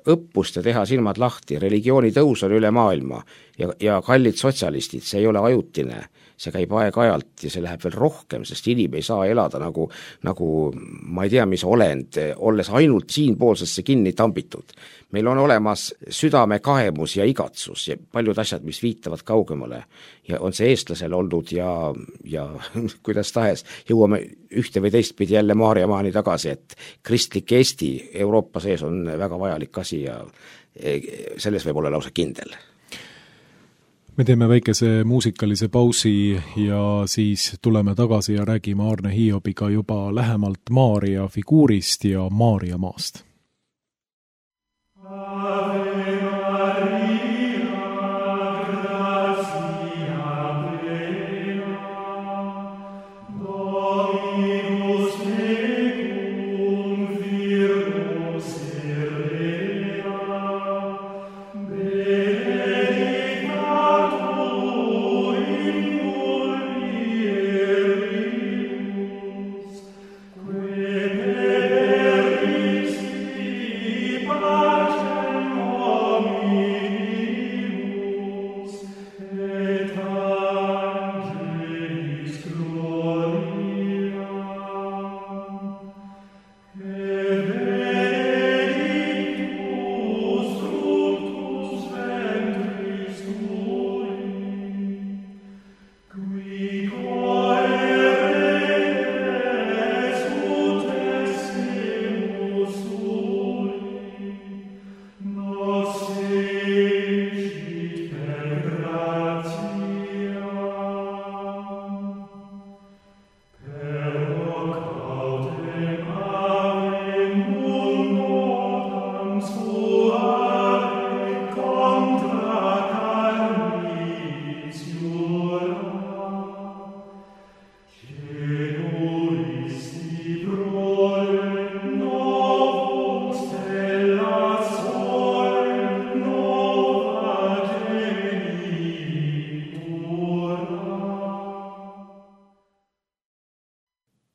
õppust ja teha silmad lahti. Religiooni tõus on üle maailma ja, ja kallid sotsialistid, see ei ole ajutine. see käib aeg-ajalt ja see läheb veel rohkem, sest inim ei saa elada nagu, nagu ma ei tea, mis olend, olles ainult siinpoolsesse kinni tambitud. Meil on olemas südame kaemus ja igatsus ja paljud asjad, mis viitavad kaugemale ja on see eestlasel olnud ja, ja kuidas tahes jõuame ühte või teist pidi jälle Maarjamaani tagasi, et kristlik Eesti Euroopa sees on väga vajalik asi ja selles võib olla lausa kindel. Me teeme väikese muusikalise pausi ja siis tuleme tagasi ja räägime Aarne Hiobiga juba lähemalt Maarja figuurist ja Maarjamaast.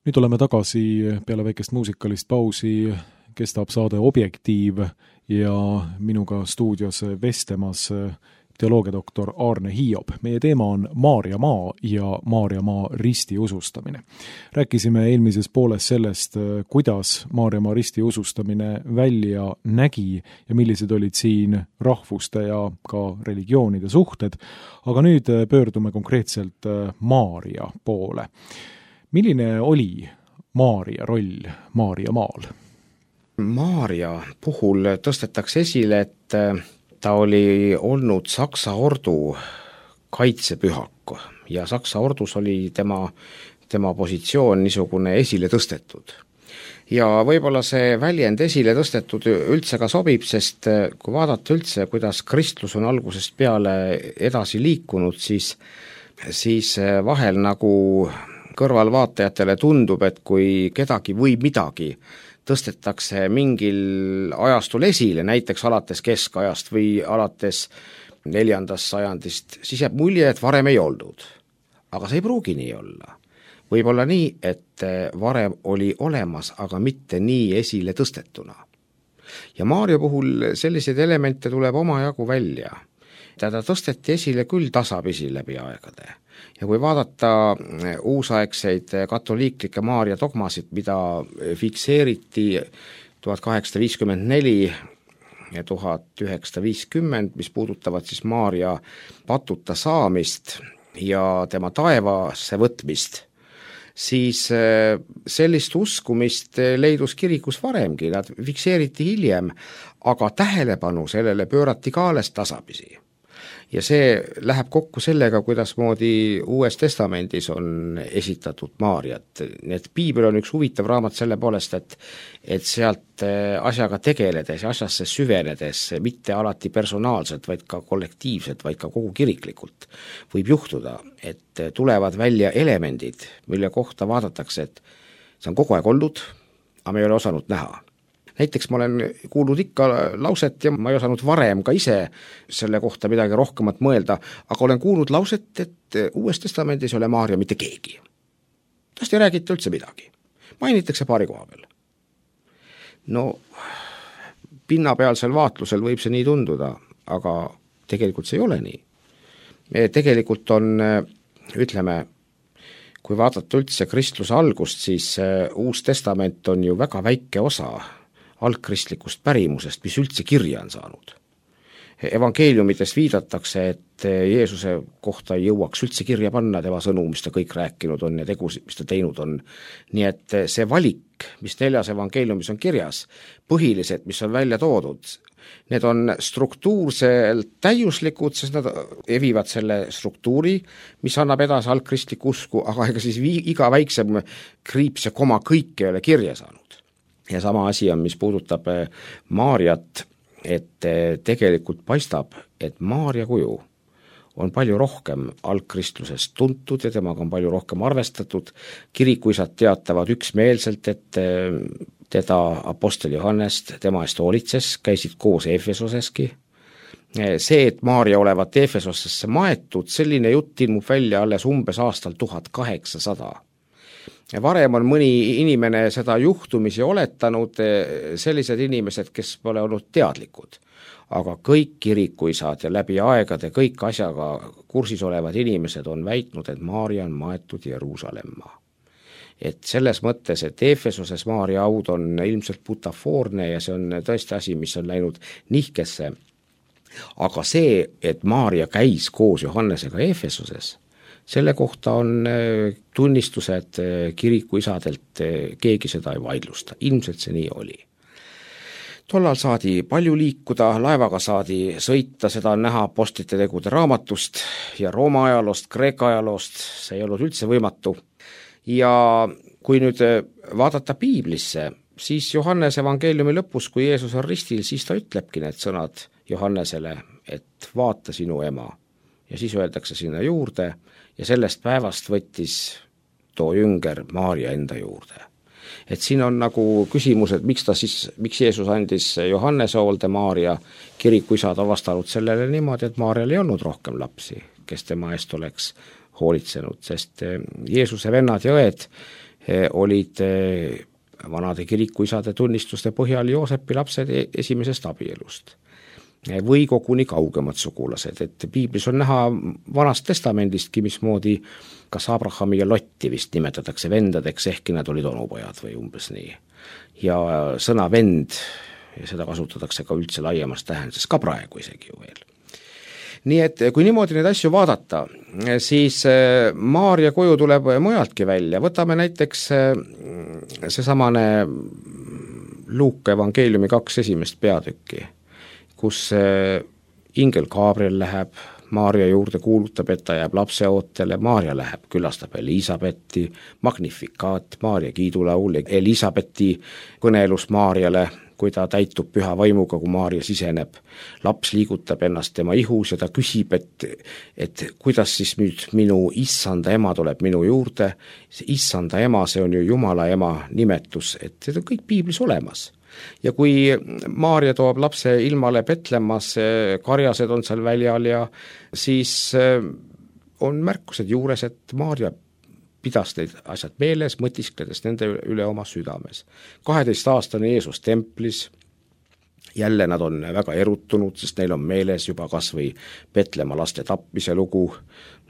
Nüüd oleme tagasi peale väikest muusikalist pausi, kestab saade Objektiiv ja minuga stuudios vestlemas teoloogiadoktor Aarne Hiob. Meie teema on Maarjamaa ja Maarjamaa ristiusustamine. Rääkisime eelmises pooles sellest, kuidas Maarjamaa ristiusustamine välja nägi ja millised olid siin rahvuste ja ka religioonide suhted, aga nüüd pöördume konkreetselt Maarja poole. Milline oli Maarja roll Maarjamaal? Maarja puhul tõstetakse esile, et ta oli olnud Saksa ordu kaitsepühak ja Saksa ordus oli tema, tema positsioon niisugune esile tõstetud. Ja võib-olla see väljend esile tõstetud üldse ka sobib, sest kui vaadata üldse, kuidas kristlus on algusest peale edasi liikunud, siis, siis vahel nagu kõrvalvaatajatele tundub, et kui kedagi või midagi tõstetakse mingil ajastul esile, näiteks alates keskajast või alates neljandast sajandist, siis jääb mulje, et varem ei olnud. Aga see ei pruugi nii olla. Võib olla nii, et varem oli olemas, aga mitte nii esile tõstetuna. Ja Maarja puhul selliseid elemente tuleb omajagu välja. Teda tõsteti esile küll tasapisi läbi aegade. Ja kui vaadata uusaegseid katoliiklikke Maarja dogmasid, mida fikseeriti tuhat kaheksasada viiskümmend neli ja tuhat üheksasada viiskümmend, mis puudutavad siis Maarja patuta saamist ja tema taevasse võtmist, siis sellist uskumist leidus kirikus varemgi, nad fikseeriti hiljem, aga tähelepanu sellele pöörati ka alles tasapisi. Ja see läheb kokku sellega, kuidas moodi Uues Testamendis on esitatud Maarjat. Nii et Piibel on üks huvitav raamat selle poolest, et, et sealt asjaga tegeledes ja asjasse süvenedes, mitte alati personaalselt, vaid ka kollektiivselt, vaid ka kogu kiriklikult, võib juhtuda, et tulevad välja elemendid, mille kohta vaadatakse, et see on kogu aeg olnud, aga me ei ole osanud näha. Näiteks ma olen kuulnud ikka lauset ja ma ei osanud varem ka ise selle kohta midagi rohkemat mõelda, aga olen kuulnud lauset, et Uues Testamendis ei ole Maarja mitte keegi. Tast ei räägita üldse midagi. Mainitakse paari koha peal. No, pinnapealsel vaatlusel võib see nii tunduda, aga tegelikult see ei ole nii. Tegelikult on ütleme, kui vaadata üldse kristluse algust, siis Uus Testament on ju väga väike osa algkristlikust pärimusest, mis üldse kirja on saanud. Evangeeliumides viidatakse, et Jeesuse kohta ei jõuaks üldse kirja panna tema sõnu, mis ta kõik rääkinud on ja tegusid, mis ta teinud on. Nii et see valik, mis neljas evangeeliumis on kirjas, põhilised, mis on välja toodud, need on struktuurselt täiuslikud, sest nad evivad selle struktuuri, mis annab edasi algkristlikku usku, aga ega siis vii, iga väiksem kriips ja koma kõik ei ole kirja saanud. Ja sama asi on, mis puudutab Maarjat, et tegelikult paistab, et Maarja kuju on palju rohkem algkristlusest tuntud ja temaga on palju rohkem arvestatud. Kirikuisad teatavad üksmeelselt, et teda apostel Johannest tema eest hoolitses, käisid koos Efesoseski. See, et Maarja olevat Efesosesse maetud, selline jutt ilmub välja alles umbes aastal tuhat kaheksasada. Varem on mõni inimene seda juhtumisi oletanud, sellised inimesed, kes pole olnud teadlikud. Aga kõik kirikuisad ja läbi aegade kõik asjaga kursis olevad inimesed on väitnud, et Maarja on maetud Jeruusalemma. Et selles mõttes, et Efesoses Maarja aud on ilmselt butafoorne ja see on tõesti asi, mis on läinud nihkesse. Aga see, et Maarja käis koos Johannesega Efesoses, selle kohta on tunnistused kirikuisadelt, keegi seda ei vaidlusta, ilmselt see nii oli. Tollal saadi palju liikuda, laevaga saadi sõita, seda on näha apostlite tegude raamatust ja Rooma ajaloost, Kreeka ajaloost, see ei olnud üldse võimatu. Ja kui nüüd vaadata piiblisse, siis Johannese evangeeliumi lõpus, kui Jeesus on ristil, siis ta ütlebki need sõnad Johannesele, et vaata sinu ema. Ja siis öeldakse sinna juurde ja sellest päevast võttis too jünger Maarja enda juurde. Et siin on nagu küsimus, et miks ta siis, miks Jeesus andis Johannese hoolde Maarja, kirikuisad on vastanud sellele niimoodi, et Maarjal ei olnud rohkem lapsi, kes tema eest oleks hoolitsenud, sest Jeesuse vennad ja õed olid vanade kirikuisade tunnistuste põhjal Joosepi lapsed esimesest abielust. Või koguni kaugemad sugulased, et piiblis on näha vanast testamendistki, mismoodi kas Abrahami ja Lotti vist nimetatakse vendadeks, ehkki nad olid onupojad või umbes nii. Ja sõna vend, ja seda kasutatakse ka üldse laiemas tähenduses, ka praegu isegi ju veel. Nii et kui niimoodi neid asju vaadata, siis Maarja koju tuleb mujaltki välja, võtame näiteks seesamane Luuka evangeeliumi kaks esimest peatükki, kus ingel Gabriel läheb Maarja juurde, kuulutab, et ta jääb lapseootele, Maarja läheb, külastab Elisabetti, Magnifikaat, Maarja kiidulaul, Elisabetti kõnelus Maarjale, kui ta täitub püha vaimuga, kui Maarja siseneb. Laps liigutab ennast tema ihus ja ta küsib, et, et kuidas siis nüüd minu issanda ema tuleb minu juurde. See issanda ema, see on ju Jumala ema nimetus, et see on kõik piiblis olemas. Ja kui Maarja toob lapse ilmale Petlemmas, karjased on seal väljal ja siis on märkused juures, et Maarja pidas neid asjad meeles, mõtiskledes nende üle oma südames. kaheteist aastane Jeesus templis, jälle nad on väga erutunud, sest neil on meeles juba kas või Petlemma laste tapmise lugu,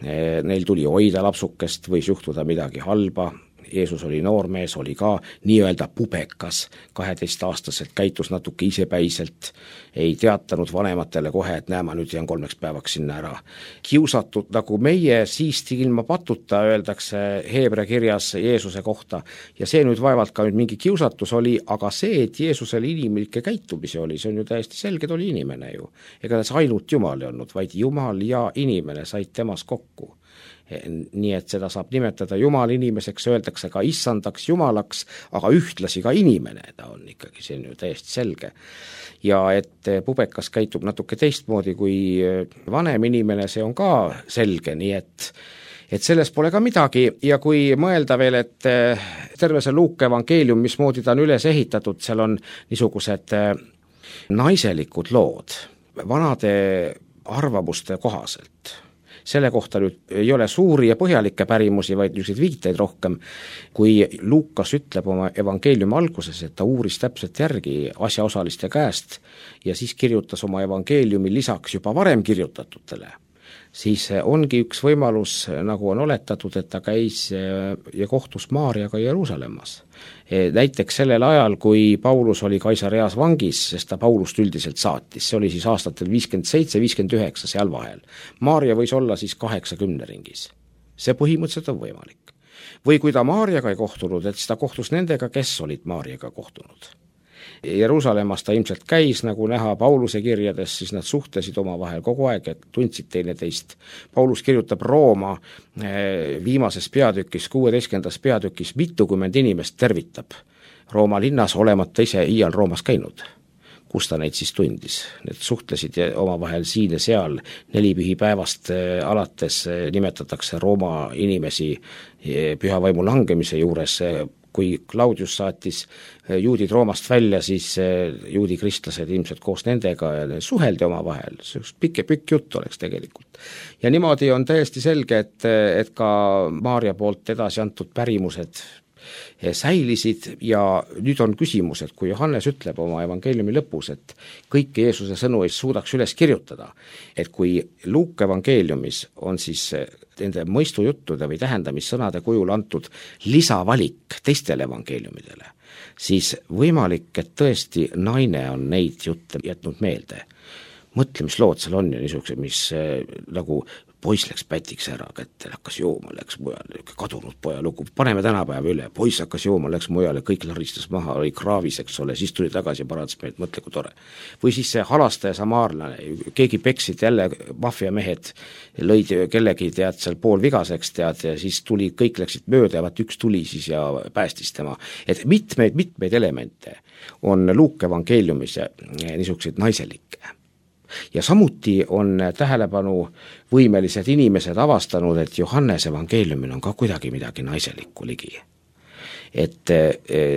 neil tuli hoida lapsukest, võis juhtuda midagi halba. Jeesus oli noormees, oli ka nii-öelda pubekas, kaheteistaastaselt käitus natuke isepäiselt, ei teatanud vanematele kohe, et näe, ma nüüd jään kolmeks päevaks sinna ära. Kiusatud nagu meie siisti ilma patuta, öeldakse Heebrea kirjas Jeesuse kohta, ja see nüüd vaevalt ka nüüd mingi kiusatus oli, aga see, et Jeesusel inimlikke käitumisi oli, see on ju täiesti selge, ta oli inimene ju. Ega ta ainult Jumal ei olnud, vaid Jumal ja inimene said temas kokku. Nii et seda saab nimetada Jumal inimeseks, öeldakse ka issandaks Jumalaks, aga ühtlasi ka inimene, ta on ikkagi, see on ju täiesti selge. Ja et pubekas käitub natuke teistmoodi kui vanem inimene, see on ka selge, nii et et selles pole ka midagi ja kui mõelda veel, et terve see Luuka evangeelium, mismoodi ta on üles ehitatud, seal on niisugused naiselikud lood vanade arvamuste kohaselt. Selle kohta nüüd ei ole suuri ja põhjalikke pärimusi, vaid niisuguseid viiteid rohkem, kui Luukas ütleb oma evangeeliumi alguses, et ta uuris täpselt järgi asjaosaliste käest ja siis kirjutas oma evangeeliumi lisaks juba varem kirjutatutele, siis ongi üks võimalus, nagu on oletatud, et ta käis ja kohtus Maarjaga Jeruusalemmas. Näiteks sellel ajal, kui Paulus oli Kaisareas vangis, sest ta Paulust üldiselt saatis, see oli siis aastatel viiskümmend seitse, viiskümmend üheksa seal vahel. Maarja võis olla siis kaheksakümne ringis. See põhimõtteliselt on võimalik. Või kui ta Maarjaga ei kohtunud, et siis ta kohtus nendega, kes olid Maarjaga kohtunud. Jeruusalemmas ta ilmselt käis, nagu näha Pauluse kirjades, siis nad suhtlesid oma vahel kogu aeg, et tundsid teineteist. Paulus kirjutab Rooma viimases peatükis, kuueteistkümnendas peatükis, mitukümmend inimest tervitab Rooma linnas, olemata ise iial Roomas käinud. Kus ta neid siis tundis? Need suhtlesid oma vahel siin ja seal, nelipühipäevast alates nimetatakse Rooma inimesi pühavaimu langemise juures. Kui Claudius saatis juudid Roomast välja, siis juudi kristlased ilmselt koos nendega ja suheldi oma vahel, see üks pikk, pikk jutt oleks tegelikult. Ja niimoodi on täiesti selge, et, et ka Maarja poolt edasi antud pärimused säilisid ja nüüd on küsimus, et kui Johannes ütleb oma evangeeliumi lõpus, et kõiki Jeesuse sõnu ei suudaks üles kirjutada, et kui Luuka evangeeliumis on siis nende mõistujuttude või tähendamissõnade kujul antud lisavalik teistele evangeeliumidele, siis võimalik, et tõesti naine on neid jutte jätnud meelde. Mõtle, mis lood seal on ja niisuguse, mis nagu poiss läks pätiks ära kätte, hakkas jooma, läks mujale, kadunud poja lugu, paneme tänapäeva üle, poiss hakkas jooma, läks mujale, kõik laristas maha, oli kraavis, eks ole, siis tuli tagasi ja parandas meid, mõtle kui tore. Või siis see halastaja samaarlane, keegi peksid jälle maffiamehed, lõid kellegi tead seal pool vigaseks tead ja siis tuli, kõik läksid mööda ja vaat üks tuli siis ja päästis tema. Et mitmeid, mitmeid elemente on Luuka evangeeliumis ja niisuguseid naiselikke. Ja samuti on tähelepanu võimelised inimesed avastanud, et Johannes evangeeliumil on ka kuidagi midagi naiselikku ligi. Et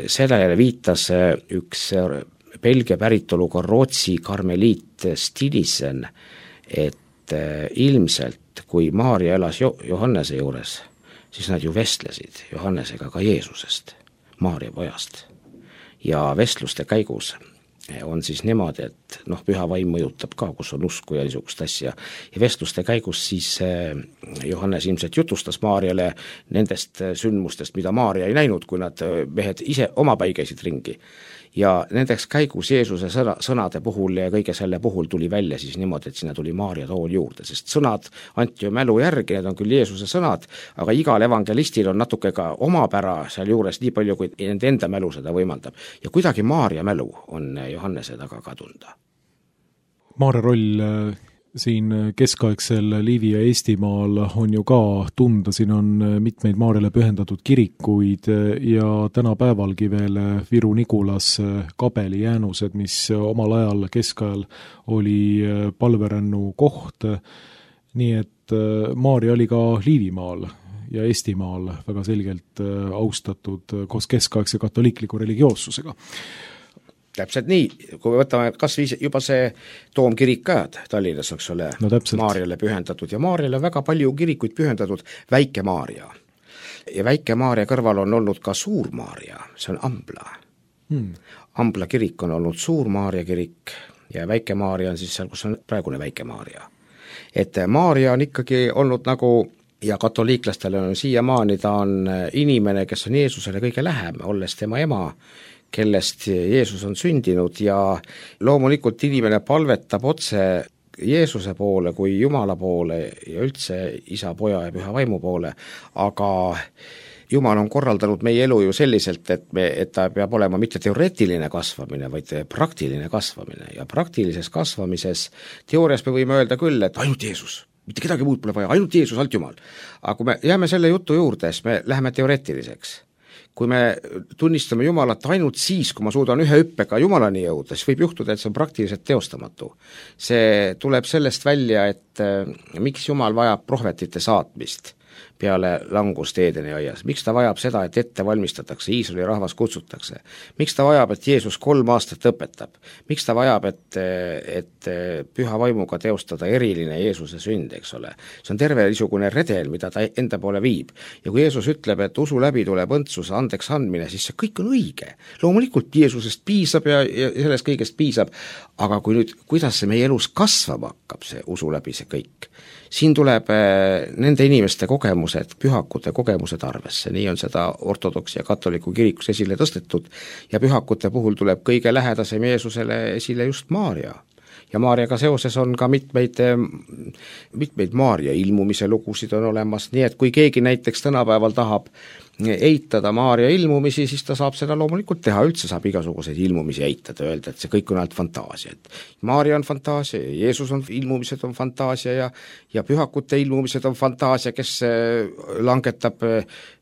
sellele viitas üks Belgia päritoluga Rootsi karmeliit Stinisen, et ilmselt kui Maarja elas Johannese juures, siis nad ju vestlesid Johannesega ka Jeesusest, Maarja pojast. Ja vestluste käigus on siis niimoodi, et noh, püha vaim mõjutab ka, kus on usku ja niisugust asja. Ja vestluste käigus siis Johannes ilmselt jutustas Maarjale nendest sündmustest, mida Maarja ei näinud, kui nad mehed ise omapäi käisid ringi. Ja nendeks käigus Jeesuse sõna, sõnade puhul ja kõige selle puhul tuli välja siis niimoodi, et sinna tuli Maarja tool juurde, sest sõnad anti ju mälu järgi, need on küll Jeesuse sõnad, aga igal evangelistil on natuke ka omapära seal juures nii palju, kui nende enda mälu seda võimaldab. Ja kuidagi Maarja mälu on Johannese taga ka tunda. Maarja roll siin keskaegsel Liivi ja Eestimaal on ju ka tunda, siin on mitmeid Maarjale pühendatud kirikuid ja tänapäevalgi veel Viru-Nigulas Kabeli jäänused, mis omal ajal keskajal oli palverännu koht, nii et Maarja oli ka Liivimaal ja Eestimaal väga selgelt austatud koos keskaegse katoliikliku religioossusega. Täpselt nii, kui me võtame kas viis, juba see toomkirik ka Tallinnas, eks ole, no, Maarjale pühendatud ja Maarjale väga palju kirikuid pühendatud Väike Maarja. Ja Väike Maarja kõrval on olnud ka Suur Maarja, see on Ambla. Hmm. Ambla kirik on olnud Suur Maarja kirik ja Väike Maarja on siis seal, kus on praegune Väike Maarja. Et Maarja on ikkagi olnud nagu ja katoliiklastele on siiamaani, ta on inimene, kes on Jeesusele kõige lähem, olles tema ema, kellest Jeesus on sündinud ja loomulikult inimene palvetab otse Jeesuse poole kui Jumala poole ja üldse isa, poja ja püha vaimu poole, aga Jumal on korraldanud meie elu ju selliselt, et, me, et ta peab olema mitte teoreetiline kasvamine, vaid praktiline kasvamine ja praktilises kasvamises teoorias me võime öelda küll, et ainult Jeesus, mitte kedagi muud pole vaja, ainult Jeesus, alt Jumal. Aga kui me jääme selle jutu juurde, siis me läheme teoreetiliseks. Kui me tunnistame Jumalat ainult siis, kui ma suudan ühe hüppega Jumalani jõuda, siis võib juhtuda, et see on praktiliselt teostamatu. See tuleb sellest välja, et miks Jumal vajab prohvetite saatmist. peale langust Eedeni aias, miks ta vajab seda, et ette valmistatakse, Iisraeli rahvas kutsutakse, miks ta vajab, et Jeesus kolm aastat õpetab, miks ta vajab, et, et püha vaimuga teostada eriline Jeesuse sünd, eks ole. See on terve niisugune redel, mida ta enda poole viib. Ja kui Jeesus ütleb, et usu läbi tuleb õndsuse andeks andmine, siis see kõik on õige. Loomulikult Jeesusest piisab ja, ja sellest kõigest piisab, aga kui nüüd, kuidas see meie elus kasvama hakkab, see usu läbi see kõik, siin tuleb nende inimeste kogemused, pühakute kogemused arvesse, nii on seda ortodoksi ja katoliku kirikus esile tõstetud ja pühakute puhul tuleb kõige lähedasem Jeesusele esile just Maarja. Ja Maarjaga seoses on ka mitmeid, mitmeid Maarja ilmumise lugusid on olemas, nii et kui keegi näiteks tänapäeval tahab eitada Maarja ilmumisi, siis ta saab seda loomulikult teha, üldse saab igasuguseid ilmumisi eitada, öelda, et see kõik on ainult fantaasia. Et Maarja on fantaasia, Jeesus on ilmumised on fantaasia ja, ja pühakute ilmumised on fantaasia, kes langetab,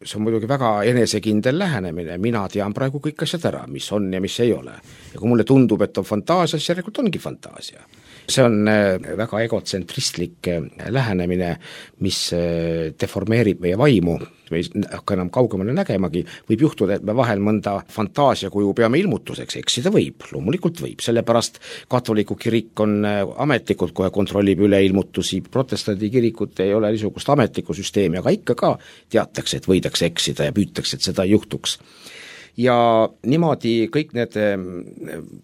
see on muidugi väga enesekindel lähenemine, mina tean praegu kõik asjad ära, mis on ja mis ei ole. Ja kui mulle tundub, et on fantaasia, siis järelikult ongi fantaasia. See on väga egotsentristlik lähenemine, mis deformeerib meie vaimu, me ei hakka enam kaugemale nägemagi, võib juhtuda, et me vahel mõnda fantaasiakuju peame ilmutuseks, eksida võib, loomulikult võib, sellepärast katoliku kirik on ametlikult, kohe kontrollib üle ilmutusi, protestandi kirikut ei ole niisugust ametlikku süsteemi, aga ikka ka teatakse, et võidakse eksida ja püütakse, et seda ei juhtuks. Ja niimoodi kõik need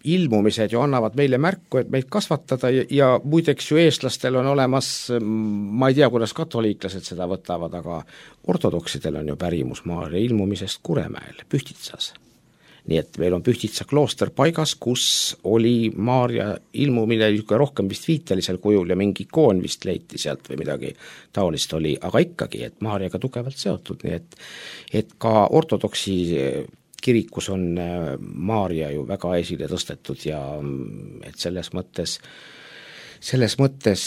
ilmumised ju annavad meile märku, et meid kasvatada ja, ja muideks ju eestlastel on olemas, ma ei tea, kuidas katoliiklased seda võtavad, aga ortodoksidel on ju pärimus Maarja ilmumisest Kuremäel, Pühtitsas. Nii et meil on Pühtitsa klooster paigas, kus oli Maarja ilmumine rohkem vist viitelisel kujul ja mingi ikoon vist leiti sealt või midagi taolist oli, aga ikkagi, et Maarjaga tugevalt seotud, nii et, et ka ortodoksi kirikus on Maarja ju väga esile tõstetud ja et selles mõttes, selles mõttes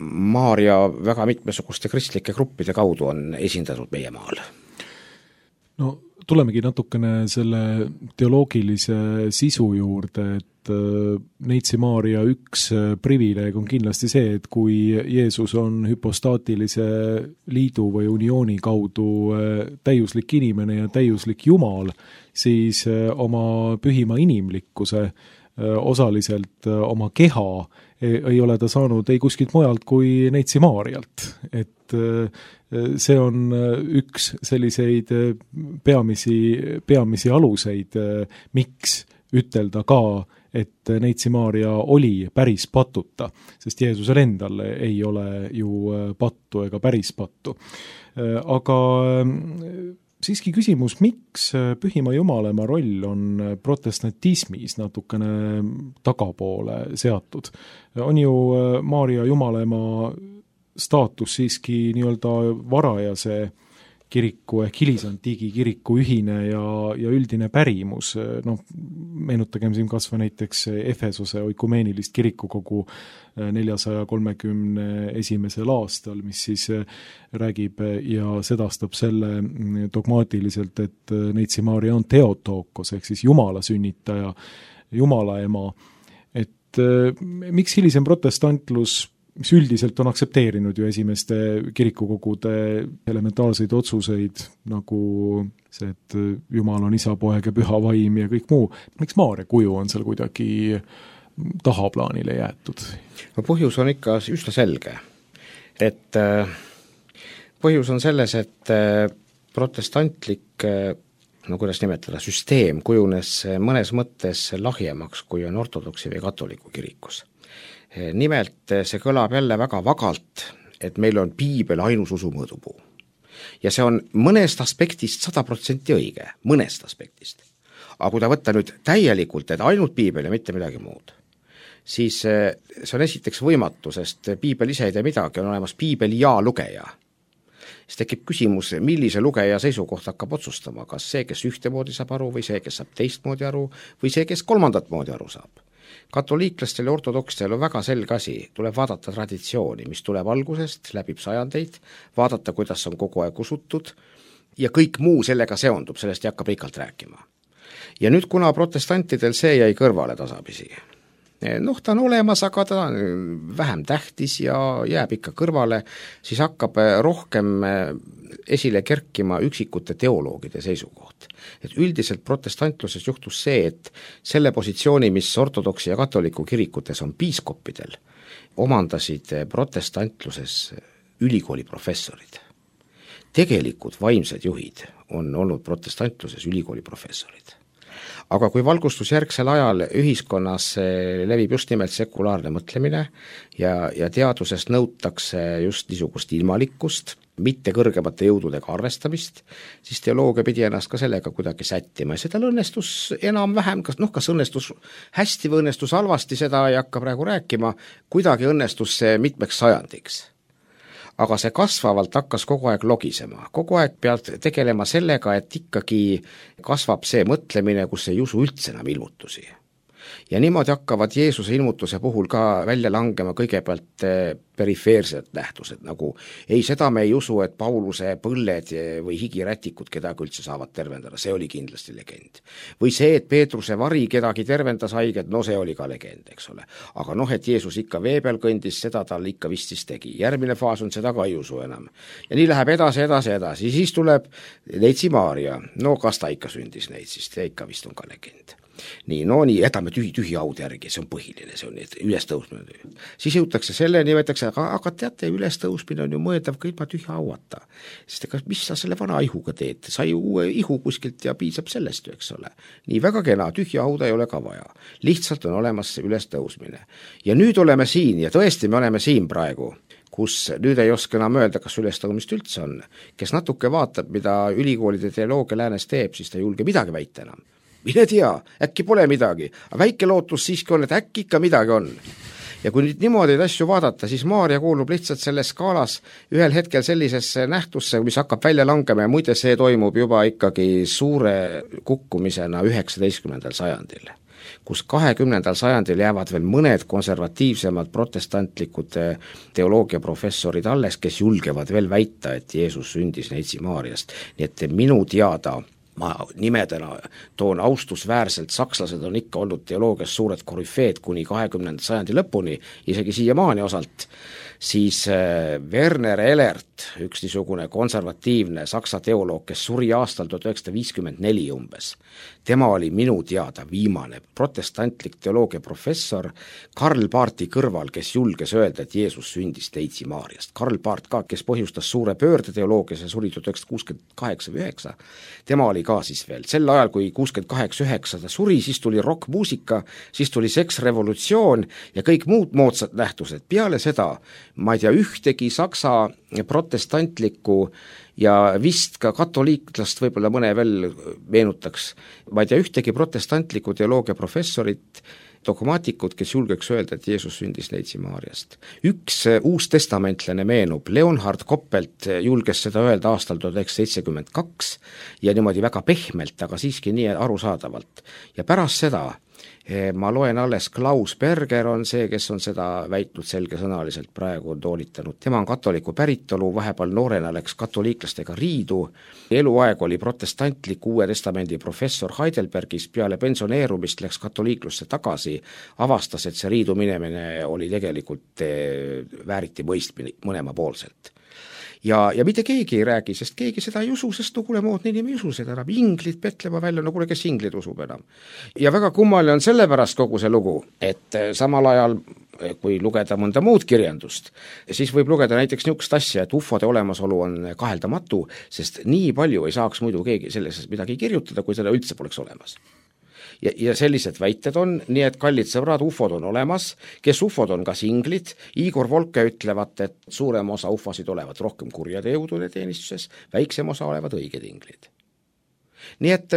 Maarja väga mitmesuguste kristlike gruppide kaudu on esindatud meie maal. No tulemegi natukene selle teoloogilise sisu juurde, et Neitsi Maarja üks privileeg on kindlasti see, et kui Jeesus on hüpostaatilise liidu või uniooni kaudu täiuslik inimene ja täiuslik Jumal, siis oma pühima inimlikkuse, osaliselt oma keha ei ole ta saanud ei kuskilt mujalt kui Neitsi Maarjalt, et see on üks selliseid peamisi, peamisi aluseid, miks ütelda ka, et Neitsi Maarja oli päris patuta, sest Jeesusel endal ei ole ju pattu ega päris pattu. Aga siiski küsimus, miks Pühima Jumalema roll on protestantismis natukene tagapoole seatud? On ju Maarja Jumalema staatus siiski nii-öelda varajase kiriku ehk hilisantiigi kiriku ühine ja, ja üldine pärimus, noh, meenutagem siin kas või näiteks Efesose oikumeenilist kirikukogu neljasaja kolmekümne esimesel aastal, mis siis räägib ja sedastab selle dogmaatiliselt, et Neitsi Maarja on Theotokos ehk siis Jumala sünnitaja, Jumala ema, et miks hilisem protestantlus, mis üldiselt on aktsepteerinud ju esimeste kirikukogude elementaarseid otsuseid, nagu see, et Jumal on isa, poeg ja püha vaim ja kõik muu, miks Maarja kuju on seal kuidagi tahaplaanile jäetud? No põhjus on ikka üsna selge, et põhjus on selles, et protestantlik, no kuidas nimetada, süsteem kujunes mõnes mõttes lahjemaks, kui on ortodoksi või katoliku kirikus. Nimelt see kõlab jälle väga vagalt, et meil on piibel ainus usu mõõdupuu. Ja see on mõnest aspektist sada protsenti õige, mõnest aspektist. Aga kui ta võtta nüüd täielikult, et ainult piibel ja mitte midagi muud, siis see on esiteks võimatu, sest piibel ise ei tee midagi, on olemas piibel ja lugeja. Siis tekib küsimus, millise lugeja seisukoht hakkab otsustama, kas see, kes ühtemoodi saab aru või see, kes saab teistmoodi aru või see, kes kolmandat moodi aru saab. Katoliiklastel ja ortodokstel on väga selge asi, tuleb vaadata traditsiooni, mis tuleb algusest, läbib sajandeid, vaadata, kuidas on kogu aeg usutud ja kõik muu sellega seondub, sellest ei hakka pikalt rääkima. Ja nüüd, kuna protestantidel see jäi kõrvale tasapisi, noh, ta on olemas, aga ta on vähem tähtis ja jääb ikka kõrvale, siis hakkab rohkem esile kerkima üksikute teoloogide seisukoht. Et üldiselt protestantluses juhtus see, et selle positsiooni, mis ortodoksi ja katoliku kirikutes on piiskoppidel, omandasid protestantluses ülikooli professorid. Tegelikud vaimsed juhid on olnud protestantluses ülikooli professorid. Aga kui valgustusjärgsel ajal ühiskonnas levib just nimelt sekulaarne mõtlemine ja, ja teadusest nõutakse just niisugust ilmalikkust, mitte kõrgemate jõududega arvestamist, siis teoloogia pidi ennast ka sellega kuidagi sättima ja seda õnnestus enam-vähem, kas, noh, kas õnnestus hästi või õnnestus halvasti, seda ei hakka praegu rääkima, kuidagi õnnestus see mitmeks sajandiks. Aga see kasvavalt hakkas kogu aeg logisema, kogu aeg pead tegelema sellega, et ikkagi kasvab see mõtlemine, kus ei usu üldse enam ilmutusi. Ja niimoodi hakkavad Jeesuse ilmutuse puhul ka välja langema kõigepealt perifeersed nähtused, nagu ei, seda me ei usu, et Pauluse põlled või higirätikud kedagi üldse saavad tervendada, see oli kindlasti legend. Või see, et Peetruse vari kedagi tervendas haiget, no see oli ka legend, eks ole. Aga noh, et Jeesus ikka vee peal kõndis, seda tal ikka vist siis tegi. Järgmine faas on, seda ka ei usu enam. Ja nii läheb edasi, edasi, edasi. Siis tuleb Neitsi Maaria. No kas ta ikka sündis neid, siis ta ikka vist on ka legend. Nii, no nii, jätame tühi, tühi haud järgi, see on põhiline, see on ülestõusmine. Siis jõutakse selleni, võetakse, aga, aga teate, ülestõusmine on ju mõeldav ka ilma tühi hauata. Sest ega mis sa selle vana ihuga teed, sai uue ihu kuskilt ja piisab sellest ju, eks ole. Nii väga kena, tühja hauda ei ole ka vaja. Lihtsalt on olemas see ülestõusmine. Ja nüüd oleme siin ja tõesti me oleme siin praegu, kus nüüd ei oska enam öelda, kas ülestõusmist üldse on. Kes natuke vaatab, mida ülikoolide teoloogia läänes teeb, siis ta ei julge midagi väita enam. Mine tea, äkki pole midagi, aga väike lootus siiski on, et äkki ikka midagi on. Ja kui nüüd niimoodi asju vaadata, siis Maaria kuulub lihtsalt selles skaalas ühel hetkel sellisesse nähtusse, mis hakkab välja langema ja muide see toimub juba ikkagi suure kukkumisena üheksateistkümnendal sajandil, kus kahekümnendal sajandil jäävad veel mõned konservatiivsemad protestantlikud teoloogiaprofessorid alles, kes julgevad veel väita, et Jeesus sündis Neitsi Maariast. Nii et minu teada ma nimedena toon austusväärselt, sakslased on ikka olnud teoloogias suured korüfeed kuni kahekümnenda sajandi lõpuni, isegi siiamaani osalt, siis Werner Elert, üks niisugune konservatiivne saksa teoloog, kes suri aastal tuhat üheksasada viiskümmend neli umbes, tema oli minu teada viimane protestantlik teoloogia professor Karl Barthi kõrval, kes julges öelda, et Jeesus sündis Neitsi Maariast. Karl Barth ka, kes põhjustas suure pöörde teoloogias ja suri tuhat üheksasada kuuskümmend kaheksa või üheksa, tema oli ka siis veel. Sel ajal, kui kuuskümmend kaheksa üheksa ta suri, siis tuli rockmuusika, siis tuli seksrevolutsioon ja kõik muud moodsad nähtused. Peale seda, ma ei tea, ühtegi saksa protestantlikku ja vist ka katoliiklast võib-olla mõne veel meenutaks, ma ei tea, ühtegi protestantlikku teoloogia professorit, dogmaatikud, kes julgeks öelda, et Jeesus sündis Neitsi Maariast. Üks uustestamentlane meenub, Leonhard Koppelt julges seda öelda aastal tuhat üheksasada seitsekümmend kaks ja niimoodi väga pehmelt, aga siiski nii arusaadavalt. Ja pärast seda ma loen alles, Klaus Berger on see, kes on seda väitnud selgesõnaliselt, praegu on toolitanud. Tema on katoliku päritolu, vahepeal noorena läks katoliiklastega riidu, eluaeg oli protestantlik Uue Testamendi professor Heidelbergis, peale pensioneerumist läks katoliiklusse tagasi, avastas, et see riidu minemine oli tegelikult vääriti mõistmine mõlemapoolselt. Ja, ja mitte keegi ei räägi, sest keegi seda ei usu, sest no kuule, moodne inimene ei usu seda enam, inglid petlema välja, no kuule, kes inglid usub enam. Ja väga kummaline on sellepärast kogu see lugu, et samal ajal, kui lugeda mõnda muud kirjandust, siis võib lugeda näiteks niisugust asja, et ufode olemasolu on kaheldamatu, sest nii palju ei saaks muidu keegi selles midagi kirjutada, kui seda üldse poleks olemas. Ja, ja sellised väited on, nii et kallid sõbrad, ufod on olemas, kes ufod on kas inglid, Igor Volke ütlevad, et suurem osa ufosid olevat rohkem kurjade jõudude teenistuses, väiksem osa olevat õiged inglid. Nii et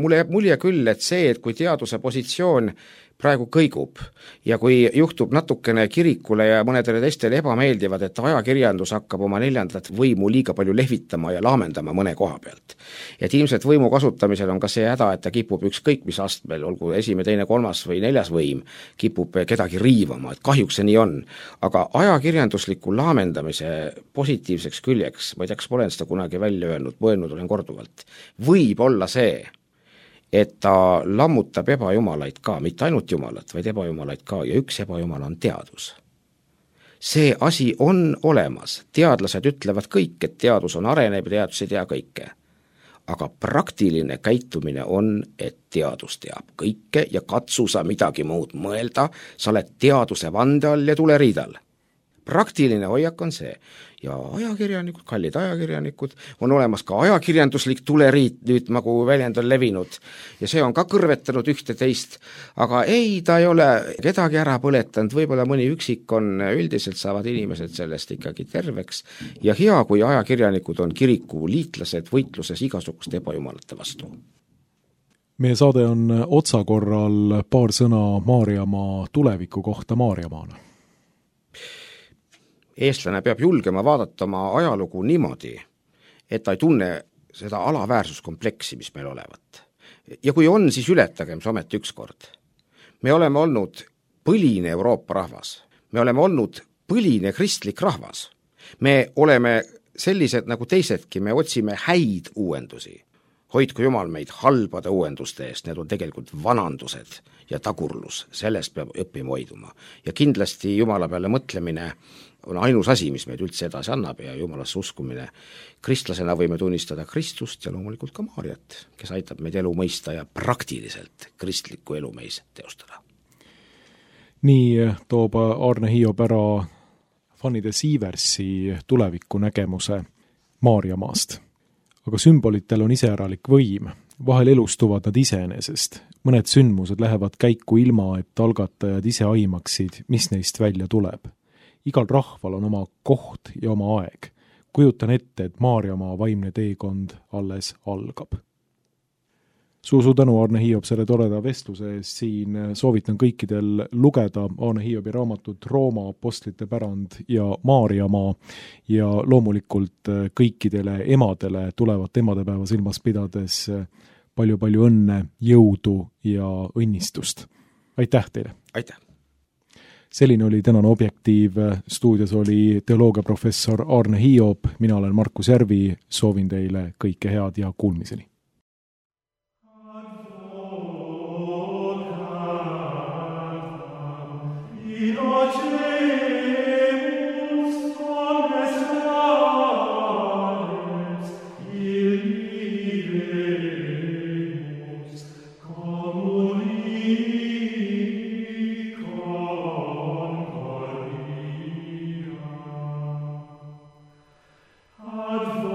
mulle jääb mulje küll, et see, et kui teaduse positsioon praegu kõigub ja kui juhtub natukene kirikule ja mõnedele teistele ebameeldivad, et ajakirjandus hakkab oma neljandat võimu liiga palju lehvitama ja laamendama mõne koha pealt. Et ilmselt võimu kasutamisel on ka see häda, et ta kipub ükskõik mis astmel, olgu esimene, teine, kolmas või neljas võim, kipub kedagi riivama, et kahjuks see nii on. Aga ajakirjandusliku laamendamise positiivseks küljeks, ma ei tea, kas ma olen seda kunagi välja öelnud, mõelnud olen korduvalt, võib olla see, et ta lammutab ebajumalaid ka, mitte ainult jumalat, vaid ebajumalaid ka ja üks ebajumala on teadus. see asi on olemas, teadlased ütlevad kõik, et teadus on arenev ja teadus ei tea kõike. Aga praktiline käitumine on, et teadus teab kõike ja katsu sa midagi muud mõelda, sa oled teaduse vande all ja tule riidal. Praktiline hoiak on see ja ajakirjanikud, kallid ajakirjanikud, on olemas ka ajakirjanduslik tuleriit, nüüd nagu väljend on levinud ja see on ka kõrvetanud ühte teist, aga ei, ta ei ole kedagi ära põletanud, võib-olla mõni üksik on, üldiselt saavad inimesed sellest ikkagi terveks ja hea, kui ajakirjanikud on kiriku liitlased võitluses igasuguste ebajumalate vastu. Meie saade on otsakorral, paar sõna Maarjamaa tuleviku kohta Maarjamaana. Eestlane peab julgema vaadata oma ajalugu niimoodi, et ta ei tunne seda alaväärsuskompleksi, mis meil olevat. Ja kui on, siis ületagem see ometi ükskord. Me oleme olnud põline Euroopa rahvas. Me oleme olnud põline kristlik rahvas. Me oleme sellised nagu teisedki, me otsime häid uuendusi. Hoidku Jumal meid halbade uuenduste eest, need on tegelikult vanandused ja tagurlus, sellest peab õppima hoiduma. Ja kindlasti Jumala peale mõtlemine on ainus asi, mis meid üldse edasi annab ja Jumalasse uskumine. Kristlasena võime tunnistada Kristust ja loomulikult ka Maarjat, kes aitab meid elu mõista ja praktiliselt kristlikku elu meis teostada. Nii toob Arne Hiob ära Fanny Sieversi tuleviku nägemuse Maarjamaast. Aga sümbolitel on iseäralik võim, vahel elustuvad nad iseenesest. Mõned sündmused lähevad käiku ilma, et algatajad ise aimaksid, mis neist välja tuleb. Igal rahval on oma koht ja oma aeg. Kujutan ette, et Maarjamaa vaimne teekond alles algab. Suur-suur tänu, Arne Hiob, selle toreda vestluse eest. Siin soovitan kõikidel lugeda Arne Hiobi raamatut Rooma apostlite pärand ja Maarjamaa ja loomulikult kõikidele emadele tulevat emadepäeva silmas pidades palju-palju õnne, jõudu ja õnnistust. Aitäh teile! Aitäh! Selline oli tänane Objektiiv, stuudios oli teoloogiaprofessor Arne Hiob, mina olen Markus Järvi, soovin teile kõike head ja kuulmiseni. Advocat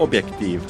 Objektiiv